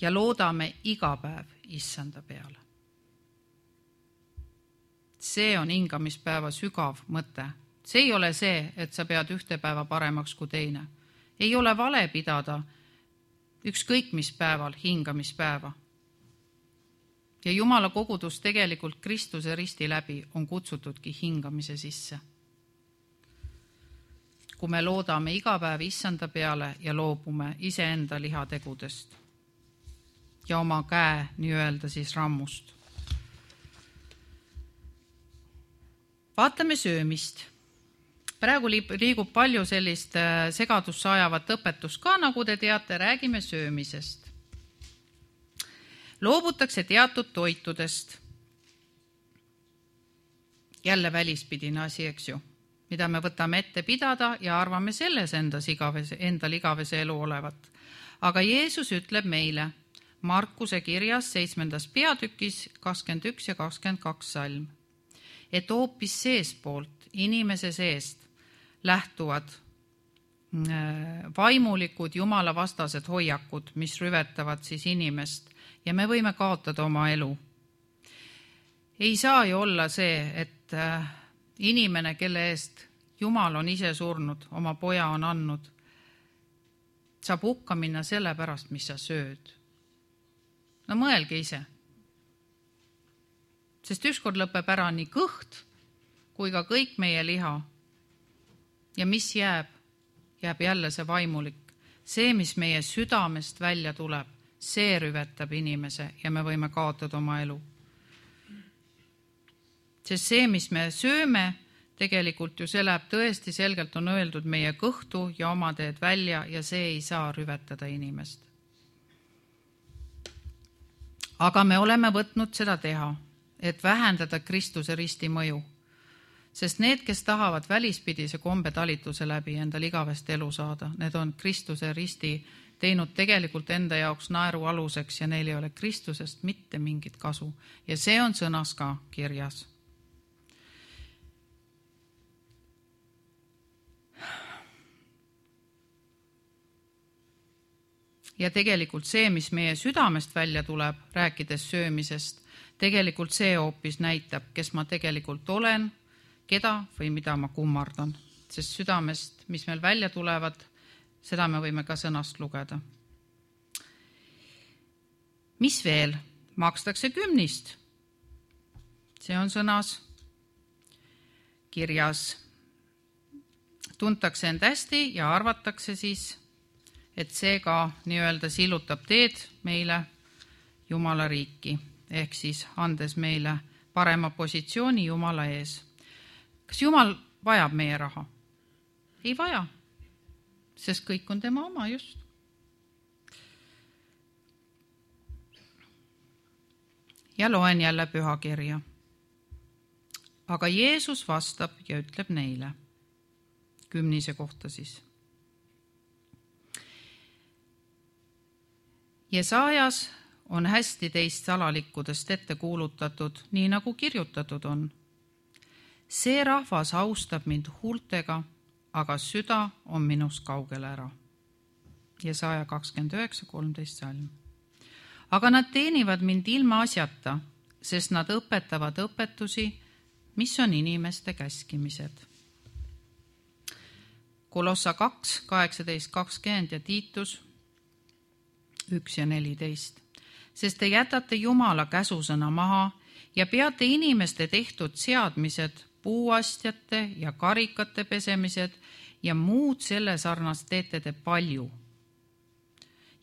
A: Ja loodame iga päev issanda peale. See on hingamispäeva sügav mõte. See ei ole see, et sa pead ühte päeva paremaks kui teine. Ei ole vale pidada ükskõik mis päeval hingamispäeva. Ja Jumala kogudus tegelikult Kristuse risti läbi on kutsutudki hingamise sisse. Kui me loodame iga päev issanda peale ja loobume iseenda lihategudest ja oma käe nii-öelda siis rammust. Vaatame söömist. Praegu liigub palju sellist segadusse ajavat õpetust ka, nagu te teate, räägime söömisest. Loobutakse teatud toitudest. Jälle välispidine asi, eks ju, mida me võtame ette pidada ja arvame selles endas igavese, endal igavese elu olevat. Aga Jeesus ütleb meile Markuse kirjas seitsmendas peatükis kakskümmend üks ja kakskümmend kaks salm, et hoopis seespoolt, inimese seest lähtuvad vaimulikud jumala vastased hoiakud, mis rüvetavad siis inimest ja me võime kaotada oma elu. Ei saa ju olla see, et inimene, kelle eest Jumal on ise surnud, oma poja on andnud, saab hukka minna selle pärast, mis sa sööd. No mõelge ise. Sest ükskord lõpeb ära nii kõht kui ka kõik meie liha. Ja mis jääb? Jääb jälle see vaimulik. See, mis meie südamest välja tuleb, see rüvetab inimese ja me võime kaotada oma elu. Sest see, mis me sööme, tegelikult ju see läheb tõesti selgelt on öeldud meie kõhtu ja oma teed välja ja see ei saa rüvetada inimest. Aga me oleme võtnud seda teha, et vähendada Kristuse risti mõju. Sest need, kes tahavad välispidise kombe talituse läbi endal igavest elu saada, need on Kristuse risti teinud tegelikult enda jaoks naeru aluseks ja neil ei ole Kristusest mitte mingit kasu. Ja see on sõnas ka kirjas. Ja tegelikult see, mis meie südamest välja tuleb, rääkides söömisest, tegelikult see hoopis näitab, kes ma tegelikult olen, keda või mida ma kummardan. Sest südamest, mis meil välja tulevad, seda me võime ka sõnast lugeda. Mis veel? Makstakse kümnist. See on sõnas kirjas. Tuntakse end hästi ja arvatakse siis, et see ka nii-öelda sillutab teed meile Jumala riiki, ehk siis andes meile parema positsiooni Jumala ees. Kas Jumal vajab meie raha? Ei vaja, sest kõik on tema oma just. Ja loen jälle pühakirja. Aga Jeesus vastab ja ütleb neile, kümnise kohta siis. Jesaajas on hästi teist salalikkudest ette kuulutatud, nii nagu kirjutatud on. See rahvas austab mind huultega, aga süda on minust kaugel ära. Jesaja kakskümmend üheksa kolmteist salm. Aga nad teenivad mind ilma asjata, sest nad õpetavad õpetusi, mis on inimeste käskimised. Kolossa kaks, kaheksateist kakskümmend ja Tiitus üks ja neliteist. Sest te jätate Jumala käsusõna maha ja peate inimeste tehtud seadmised, puuastjate ja karikate pesemised ja muud selle sarnast teete te palju.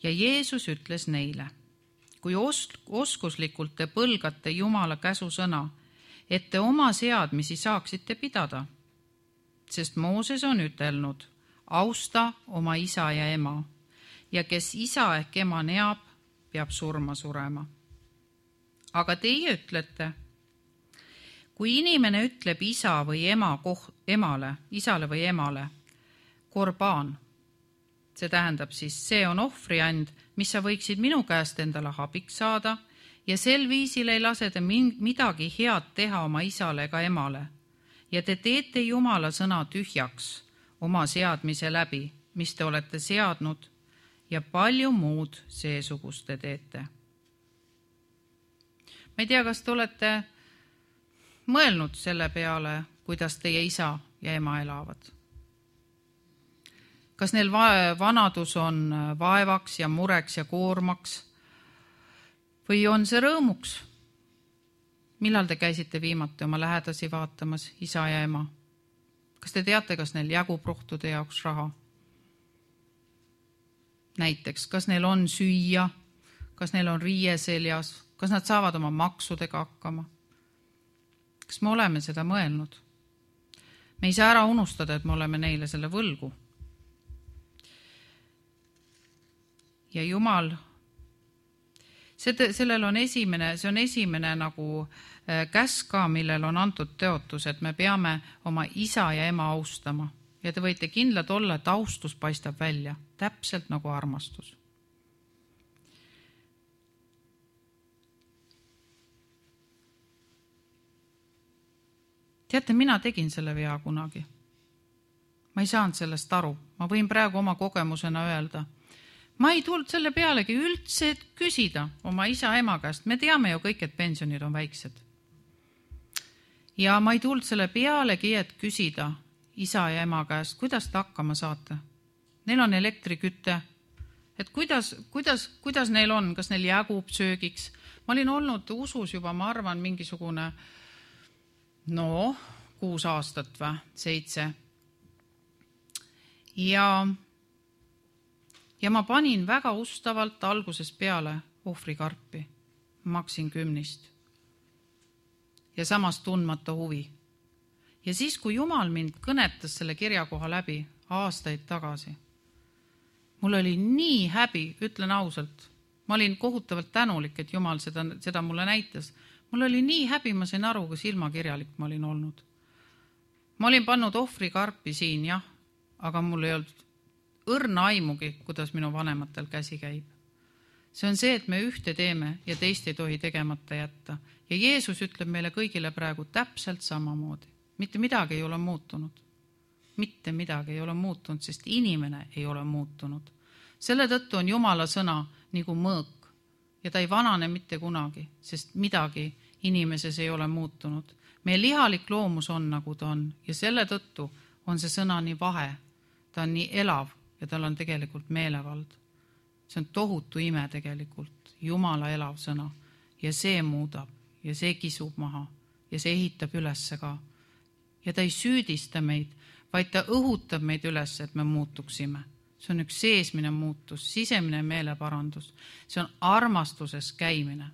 A: Ja Jeesus ütles neile, kui os- oskuslikult te põlgate Jumala käsusõna, et te oma seadmisi saaksite pidada. Sest Mooses on ütelnud, austa oma isa ja ema, ja kes isa ehk ema neab, peab surma surema. Aga teie ütlete, kui inimene ütleb isa või ema koh- emale, isale või emale, korbaan, see tähendab siis, see on ohvriand, mis sa võiksid minu käest endale abiks saada, ja sel viisil ei lase te midagi head teha oma isale ega emale, ja te teete Jumala sõna tühjaks oma seadmise läbi, mis te olete seadnud, ja palju muud seesugust te teete. Ma ei tea, kas te olete mõelnud selle peale, kuidas teie isa ja ema elavad. Kas neil vanadus on vaevaks ja mureks ja koormaks või on see rõõmuks? Millal te käisite viimati oma lähedasi vaatamas, isa ja ema? Kas te teate, kas neil jagub rohtude jaoks raha? Näiteks, kas neil on süüa, kas neil on riie seljas, kas nad saavad oma maksudega hakkama? Kas me oleme seda mõelnud? Me ei saa ära unustada, et me oleme neile selle võlgu. Ja Jumal, sellel on esimene, see on esimene nagu käsk ka, millel on antud teotus, et me peame oma isa ja ema austama. Ja te võite kindlad olla, et austus paistab välja, täpselt nagu armastus. Teate, mina tegin selle vea kunagi. Ma ei saanud sellest aru. Ma võin praegu oma kogemusena öelda. Ma ei tulnud selle pealegi üldse küsida oma isa ema käest. Me teame ju kõik, et pensionid on väiksed. Ja ma ei tulnud selle pealegi, et küsida isa ja ema käest, kuidas te hakkama saate. Neil on elektrikütte. Et kuidas, kuidas, kuidas neil on, kas neil jagub söögiks. Ma olin olnud usus juba, ma arvan, mingisugune no, kuus aastat või, seitse. Ja, ja ma panin väga ustavalt algusest peale ohvrikarpi. Maksin kümnist. Ja samas tundmata huvi. Ja siis, kui Jumal mind kõnetas selle kirjakoha läbi aastaid tagasi, mul oli nii häbi, ütlen ausalt. Ma olin kohutavalt tänulik, et Jumal seda, seda mulle näitas. Mul oli nii häbi, ma sain aru, kui silmakirjalik ma olin olnud. Ma olin pannud ohvrikarpi siin, jah, aga mul ei olnud õrna aimugi, kuidas minu vanematel käsi käib. See on see, et me ühte teeme ja teist ei tohi tegemata jätta. Ja Jeesus ütleb meile kõigile praegu täpselt samamoodi. Mitte midagi ei ole muutunud. Mitte midagi ei ole muutunud, sest inimene ei ole muutunud. Selle tõttu on Jumala sõna nagu mõõk. Ja ta ei vanane mitte kunagi, sest midagi inimeses ei ole muutunud. Meie lihalik loomus on, nagu ta on, ja selle tõttu on see sõna nii vahe. Ta on nii elav ja tal on tegelikult meelevald. See on tohutu ime tegelikult, Jumala elav sõna. Ja see muudab ja see kisub maha ja see ehitab ülesse ka. Ja ta ei süüdista meid, vaid ta õhutab meid üles, et me muutuksime. See on üks seesmine muutus, sisemine meeleparandus. See on armastuses käimine.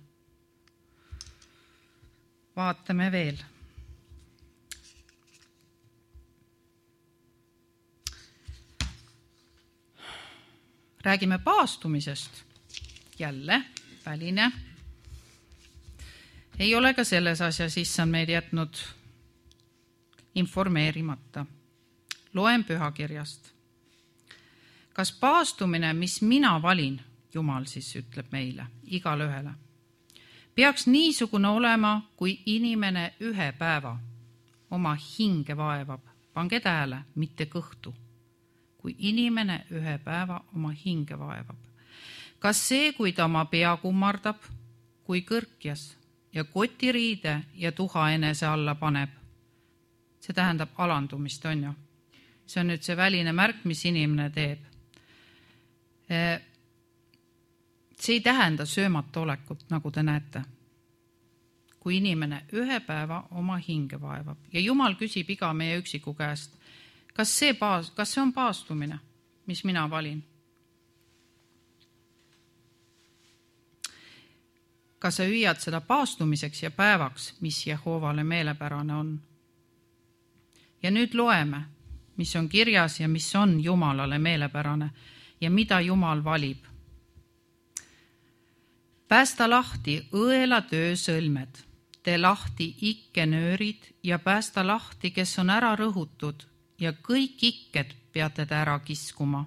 A: Vaatame veel. Räägime paastumisest. Jälle, väline. Ei ole ka selles asjas issand meid jätnud informeerimata. Loen pühakirjast. Kas paastumine, mis mina valin, Jumal siis ütleb meile, igale ühele. Peaks niisugune olema, kui inimene ühe päeva oma hinge vaevab. Pange tähele, mitte kõhtu. Kui inimene ühe päeva oma hinge vaevab. Kas see, kui ta oma pea kummardab, kui kõrkjas ja kotiriide ja tuha enese alla paneb? See tähendab alandumist, on ju. See on nüüd see väline märk, mis inimene teeb. See ei tähenda söömata olekut, nagu te näete. Kui inimene ühe päeva oma hinge vaevab. Ja Jumal küsib iga meie üksiku käest, kas see, paas, kas see on paastumine, mis mina valin? Kas sa hüüad seda paastumiseks ja päevaks, mis Jehovale meelepärane on? Ja nüüd loeme, mis on kirjas ja mis on Jumalale meelepärane ja mida Jumal valib. Päästa lahti õela töö sõlmed, tee lahti ikkenöörid ja päästa lahti, kes on ära rõhutud ja kõik ikked peate te ära kiskuma.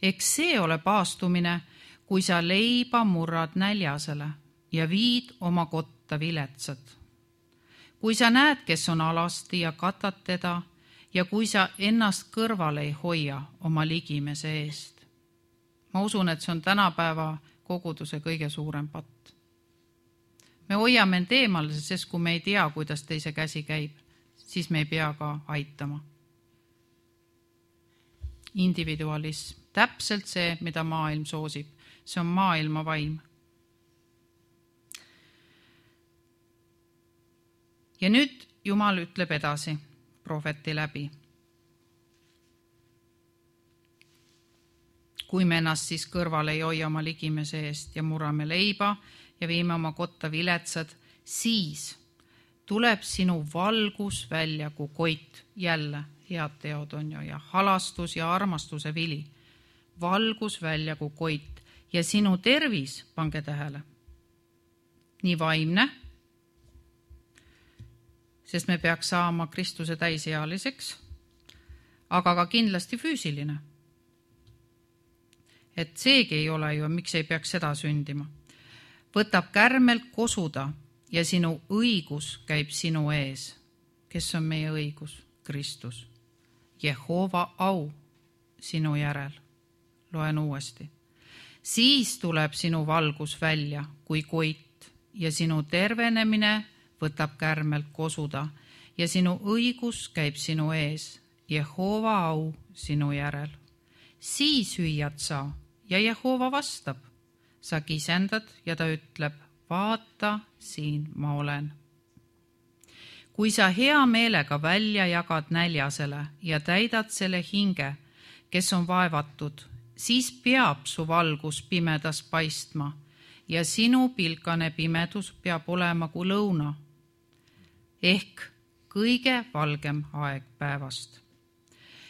A: Eks see ole paastumine, kui sa leiba murrad näljasele ja viid oma kotta viletsad. Kui sa näed, kes on alasti ja katad teda ja kui sa ennast kõrvale ei hoia oma ligimese eest. Ma usun, et see on tänapäeva koguduse kõige suurem patt. Me hoiame end eemal, sest kui me ei tea, kuidas teise käsi käib, siis me ei pea ka aitama. Individualism, täpselt see, mida maailm soosib. See on maailma vaim. Ja nüüd Jumal ütleb edasi prohveti läbi. Kui me ennast siis kõrvale ei hoia oma ligimese eest ja murrame leiba ja viime oma kotta viletsad, siis tuleb sinu valgus välja kui koit, jälle head teod on ju, ja halastus ja armastuse vili. Valgus välja kui koit ja sinu tervis, pange tähele, nii vaimne, sest me peaks saama Kristuse täisealiseks, aga ka kindlasti füüsiline. Et seegi ei ole ju, miks ei peaks seda sündima. Võtab kärmelt kosuda ja sinu õigus käib sinu ees. Kes on meie õigus? Kristus. Jehova au sinu järel. Loen uuesti. Siis tuleb sinu valgus välja kui koit ja sinu tervenemine võtab kärmelt kosuda ja sinu õigus käib sinu ees. Jehova au sinu järel. Siis hüüad sa ja Jehova vastab. Sa kisendad ja ta ütleb, vaata, siin ma olen. Kui sa hea meelega välja jagad näljasele ja täidad selle hinge, kes on vaevatud, siis peab su valgus pimedas paistma ja sinu pilkane pimedus peab olema kui lõuna, ehk kõige valgem aeg päevast.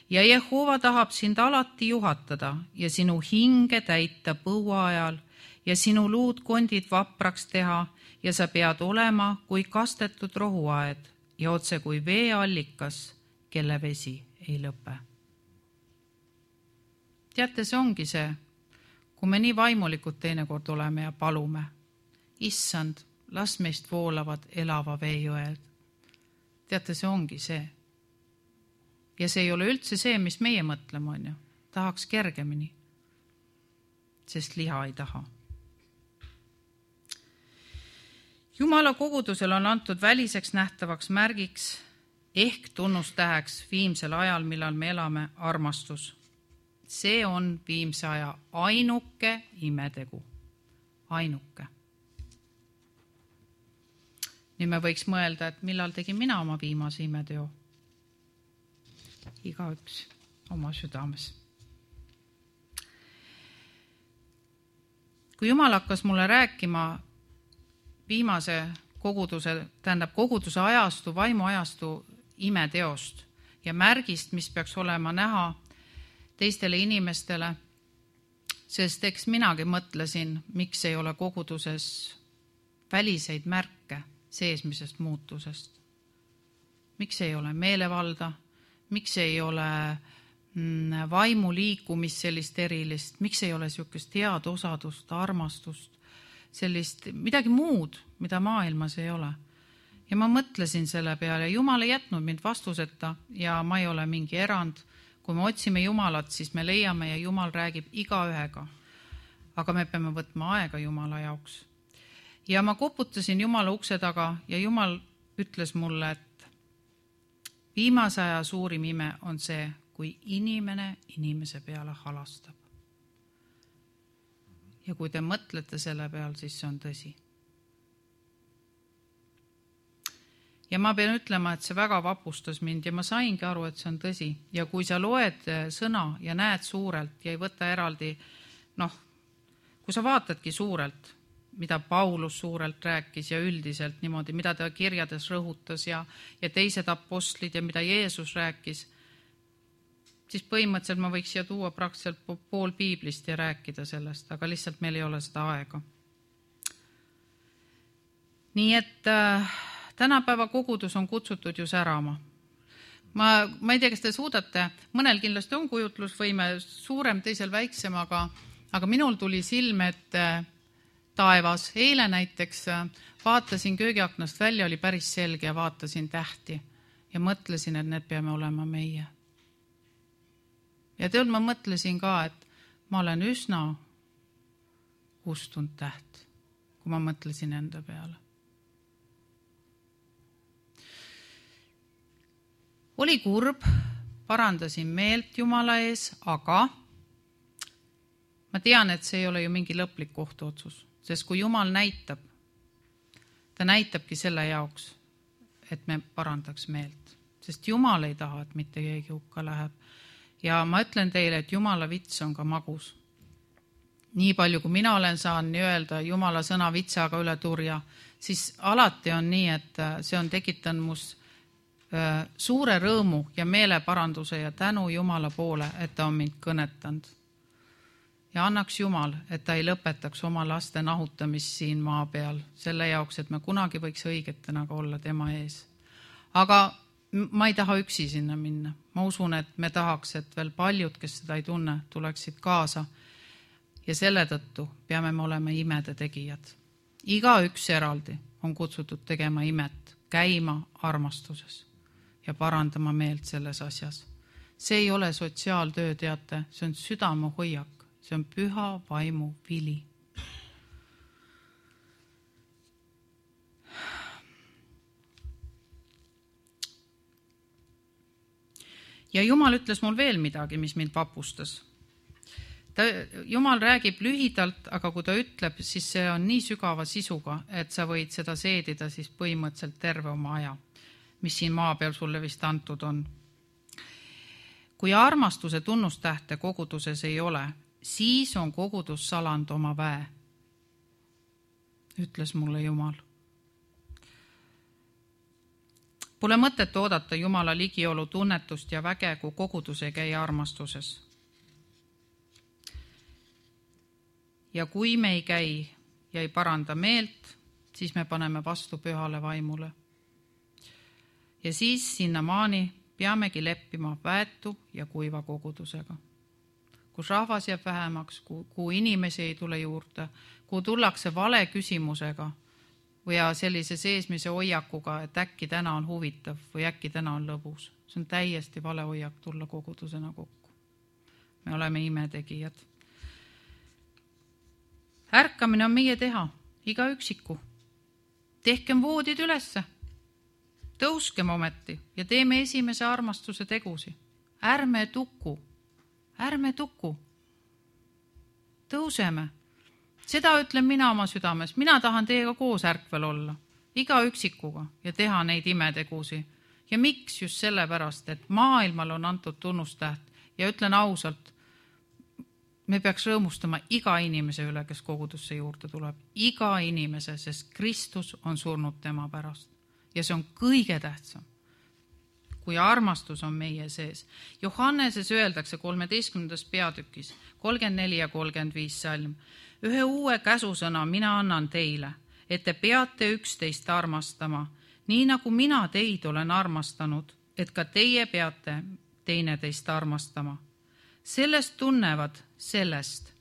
A: Ja Jehova tahab sind alati juhatada ja sinu hinge täita põua ajal ja sinu luud kondid vapraks teha ja sa pead olema kui kastetud rohuaed ja otse kui veeallikas, kelle vesi ei lõpe. Teate, see ongi see, kui me nii vaimulikud teinekord oleme ja palume. Issand, las meist voolavad elava veejõed. Teate, see ongi see. Ja see ei ole üldse see, mis meie mõtleme on ju. Tahaks kergemini, sest liha ei taha. Jumala kogudusel on antud väliseks nähtavaks märgiks ehk tunnustäheks viimsel ajal, millal me elame, armastus. See on viimse aja ainuke imetegu. Ainuke. Nii me võiks mõelda, et millal tegin mina oma viimase imeteo. Igaüks oma südames. Kui Jumal hakkas mulle rääkima viimase koguduse, tähendab koguduse ajastu, vaimu ajastu imeteost ja märgist, mis peaks olema näha teistele inimestele, sest eks minagi mõtlesin, miks ei ole koguduses väliseid märke seesmisest muutusest. Miks ei ole meelevalda, miks ei ole vaimu liikumist sellist erilist, miks ei ole niisugust head osadust, armastust, sellist midagi muud, mida maailmas ei ole. Ja ma mõtlesin selle peale, Jumal ei jätnud mind vastuseta ja ma ei ole mingi erand. Kui me otsime Jumalat, siis me leiame ja Jumal räägib igaühega. Aga me peame võtma aega Jumala jaoks. Ja ma koputasin Jumala ukse taga ja Jumal ütles mulle, et viimase aja suurim ime on see, kui inimene inimese peale halastab. Ja kui te mõtlete selle peal, siis see on tõsi. Ja ma pean ütlema, et see väga vapustas mind ja ma saingi aru, et see on tõsi. Ja kui sa loed sõna ja näed suurelt ja ei võta eraldi, noh, kui sa vaatadki suurelt, mida Paulus suurelt rääkis ja üldiselt niimoodi, mida ta kirjades rõhutas ja, ja teised apostlid ja mida Jeesus rääkis, siis põhimõtteliselt ma võiks siia tuua praktiliselt pool piiblist ja rääkida sellest, aga lihtsalt meil ei ole seda aega. Nii et äh, tänapäeva kogudus on kutsutud ju särama. Ma, ma ei tea, kas te suudate, mõnel kindlasti on kujutlusvõime suurem, teisel väiksem, aga, aga minul tuli silme, et äh, taevas. Eile näiteks äh, vaatasin köögiaknast välja, oli päris selge ja vaatasin tähti ja mõtlesin, et need peame olema meie. Ja tead, ma mõtlesin ka, et ma olen üsna ustunud täht, kui ma mõtlesin enda peale. Oli kurb, parandasin meelt Jumala ees, aga ma tean, et see ei ole ju mingi lõplik kohtuotsus, sest kui Jumal näitab, ta näitabki selle jaoks, et me parandaks meelt, sest Jumal ei taha, et mitte keegi hukka läheb. Ja ma ütlen teile, et Jumala vits on ka magus. Nii palju, kui mina olen saanud öelda Jumala sõna vitsaga üle turja, siis alati on nii, et see on tekitanud must suure rõõmu ja meeleparanduse ja tänu Jumala poole, et ta on mind kõnetanud. Ja annaks Jumal, et ta ei lõpetaks oma laste nahutamist siin maa peal, selle jaoks, et me kunagi võiks õigetena ka olla tema ees. Aga ma ei taha üksi sinna minna. Ma usun, et me tahaks, et veel paljud, kes seda ei tunne, tuleksid kaasa. Ja selle tõttu peame me olema imede tegijad. Iga üks eraldi on kutsutud tegema imet, käima armastuses ja parandama meelt selles asjas. See ei ole sotsiaaltöö, teate, see on südame hoiak, see on püha vaimu vili. Ja Jumal ütles mul veel midagi, mis mind vapustas. Ta, Jumal räägib lühidalt, aga kui ta ütleb, siis see on nii sügava sisuga, et sa võid seda seedida siis põhimõtteliselt terve oma aja, mis siin maa peal sulle vist antud on. Kui armastuse tunnustähte koguduses ei ole, siis on kogudus saland oma väe, ütles mulle Jumal. Pole mõtet oodata Jumala ligiolu tunnetust ja väge, kui kogudus ei käi armastuses. Ja kui me ei käi ja ei paranda meelt, siis me paneme vastu pühale vaimule. Ja siis sinna maani peamegi leppima väetu ja kuiva kogudusega. Kus rahvas jääb vähemaks, kuhu inimesi ei tule juurde, kuhu tullakse vale küsimusega, või sellise seesmise hoiakuga, et äkki täna on huvitav või äkki täna on lõbus. See on täiesti vale hoiak tulla kogudusena kokku. Me oleme imetegijad. Ärkamine on meie teha, iga üksiku. Tehkem voodid ülesse. Tõuskem ometi ja teeme esimese armastuse tegusi. Ärme tuku, ärme tuku. Tõuseme. Seda ütlen mina oma südames. Mina tahan teiega koos ärkvel olla, iga üksikuga ja teha neid imetegusi. Ja miks just sellepärast, et maailmal on antud tunnustäht ja ütlen ausalt, me peaks rõõmustama iga inimese üle, kes kogudusse juurde tuleb. Iga inimese, sest Kristus on surnud tema pärast. Ja see on kõige tähtsam, kui armastus on meie sees. Johanneses öeldakse kolmeteistkümnendas peatükis, kolmkümmend neli ja kolmkümmend viis salm. Ühe uue käsusõna mina annan teile, et te peate üksteist armastama, nii nagu mina teid olen armastanud, et ka teie peate teineteist armastama. Sellest tunnevad, sellest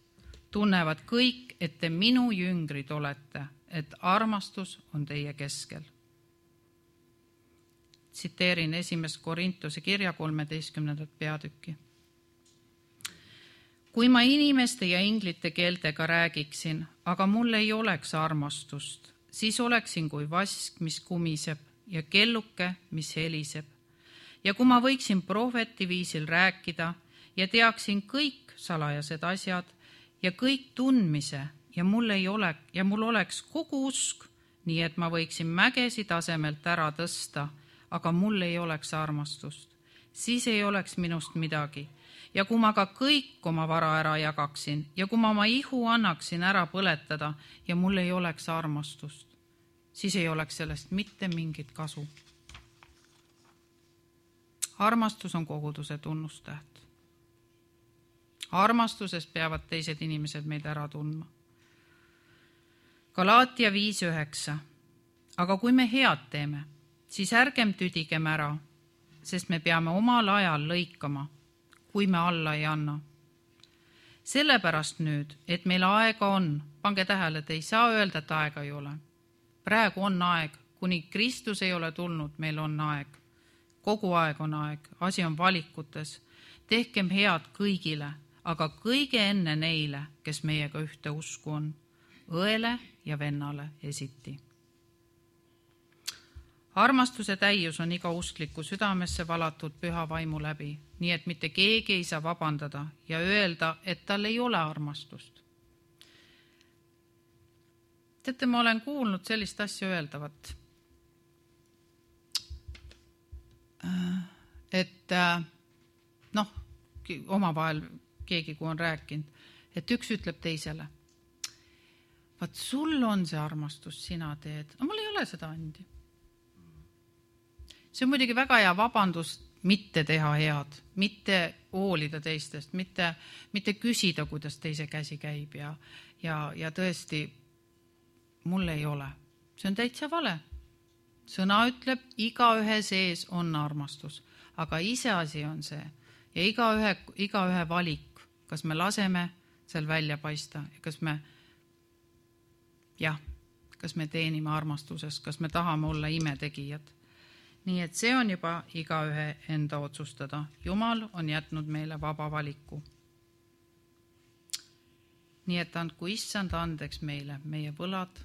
A: tunnevad kõik, et te minu jüngrid olete, et armastus on teie keskel. Tsiteerin esimest Korintuse kirja kolmeteistkümnendat peatükki. Kui ma inimeste ja inglite keeltega räägiksin, aga mul ei oleks armastust, siis oleksin kui vask, mis kumiseb ja kelluke, mis heliseb. Ja kui ma võiksin prohveti viisil rääkida ja teaksin kõik salajased asjad ja kõik tundmise ja mul, ei ole, ja mul oleks kogu usk, nii et ma võiksin mägesi tasemelt ära tõsta, aga mul ei oleks armastust, siis ei oleks minust midagi. Ja kui ma ka kõik oma vara ära jagaksin ja kui ma oma ihu annaksin ära põletada ja mul ei oleks armastust, siis ei oleks sellest mitte mingit kasu. Armastus on koguduse tunnustäht. Armastuses peavad teised inimesed meid ära tundma. Galaatia viis üheksa. Aga kui me head teeme, siis ärgem tüdigem ära, sest me peame omal ajal lõikama, kui me alla ei anna. Sellepärast nüüd, et meil aega on, pange tähele, te ei saa öelda, et aega ei ole. Praegu on aeg, kuni Kristus ei ole tulnud, meil on aeg. Kogu aeg on aeg, asi on valikutes. Tehkem head kõigile, aga kõige enne neile, kes meiega ühte usku on, õele ja vennale esiti. Armastuse täius on iga uskliku südamesse valatud püha vaimu läbi, nii et mitte keegi ei saa vabandada ja öelda, et tal ei ole armastust. Teate, ma olen kuulnud sellist asja öeldavat, et noh, omavahel keegi, kui on rääkinud, et üks ütleb teisele, vaat sul on see armastus, sina teed, aga mul ei ole seda andi. See on muidugi väga hea vabandus mitte teha head, mitte hoolida teistest, mitte, mitte küsida, kuidas teise käsi käib ja, ja, ja tõesti, mul ei ole. See on täitsa vale. Sõna ütleb, igaühe sees on armastus, aga ise asi on see ja igaühe, igaühe valik, kas me laseme seal välja paista ja kas me, jah, kas me teenime armastuses, kas me tahame olla imetegijad. Nii et see on juba igaühe enda otsustada. Jumal on jätnud meile vaba valiku. Nii et andku issand andeks meile meie võlad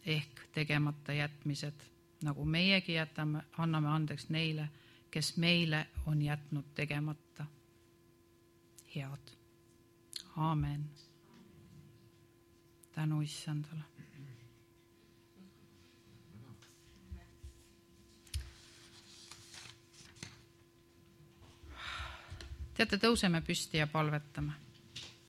A: ehk tegemata jätmised, nagu meiegi jätame, anname andeks neile, kes meile on jätnud tegemata. Head. Aamen. Tänu issandale. Teate, tõuseme püsti ja palvetame.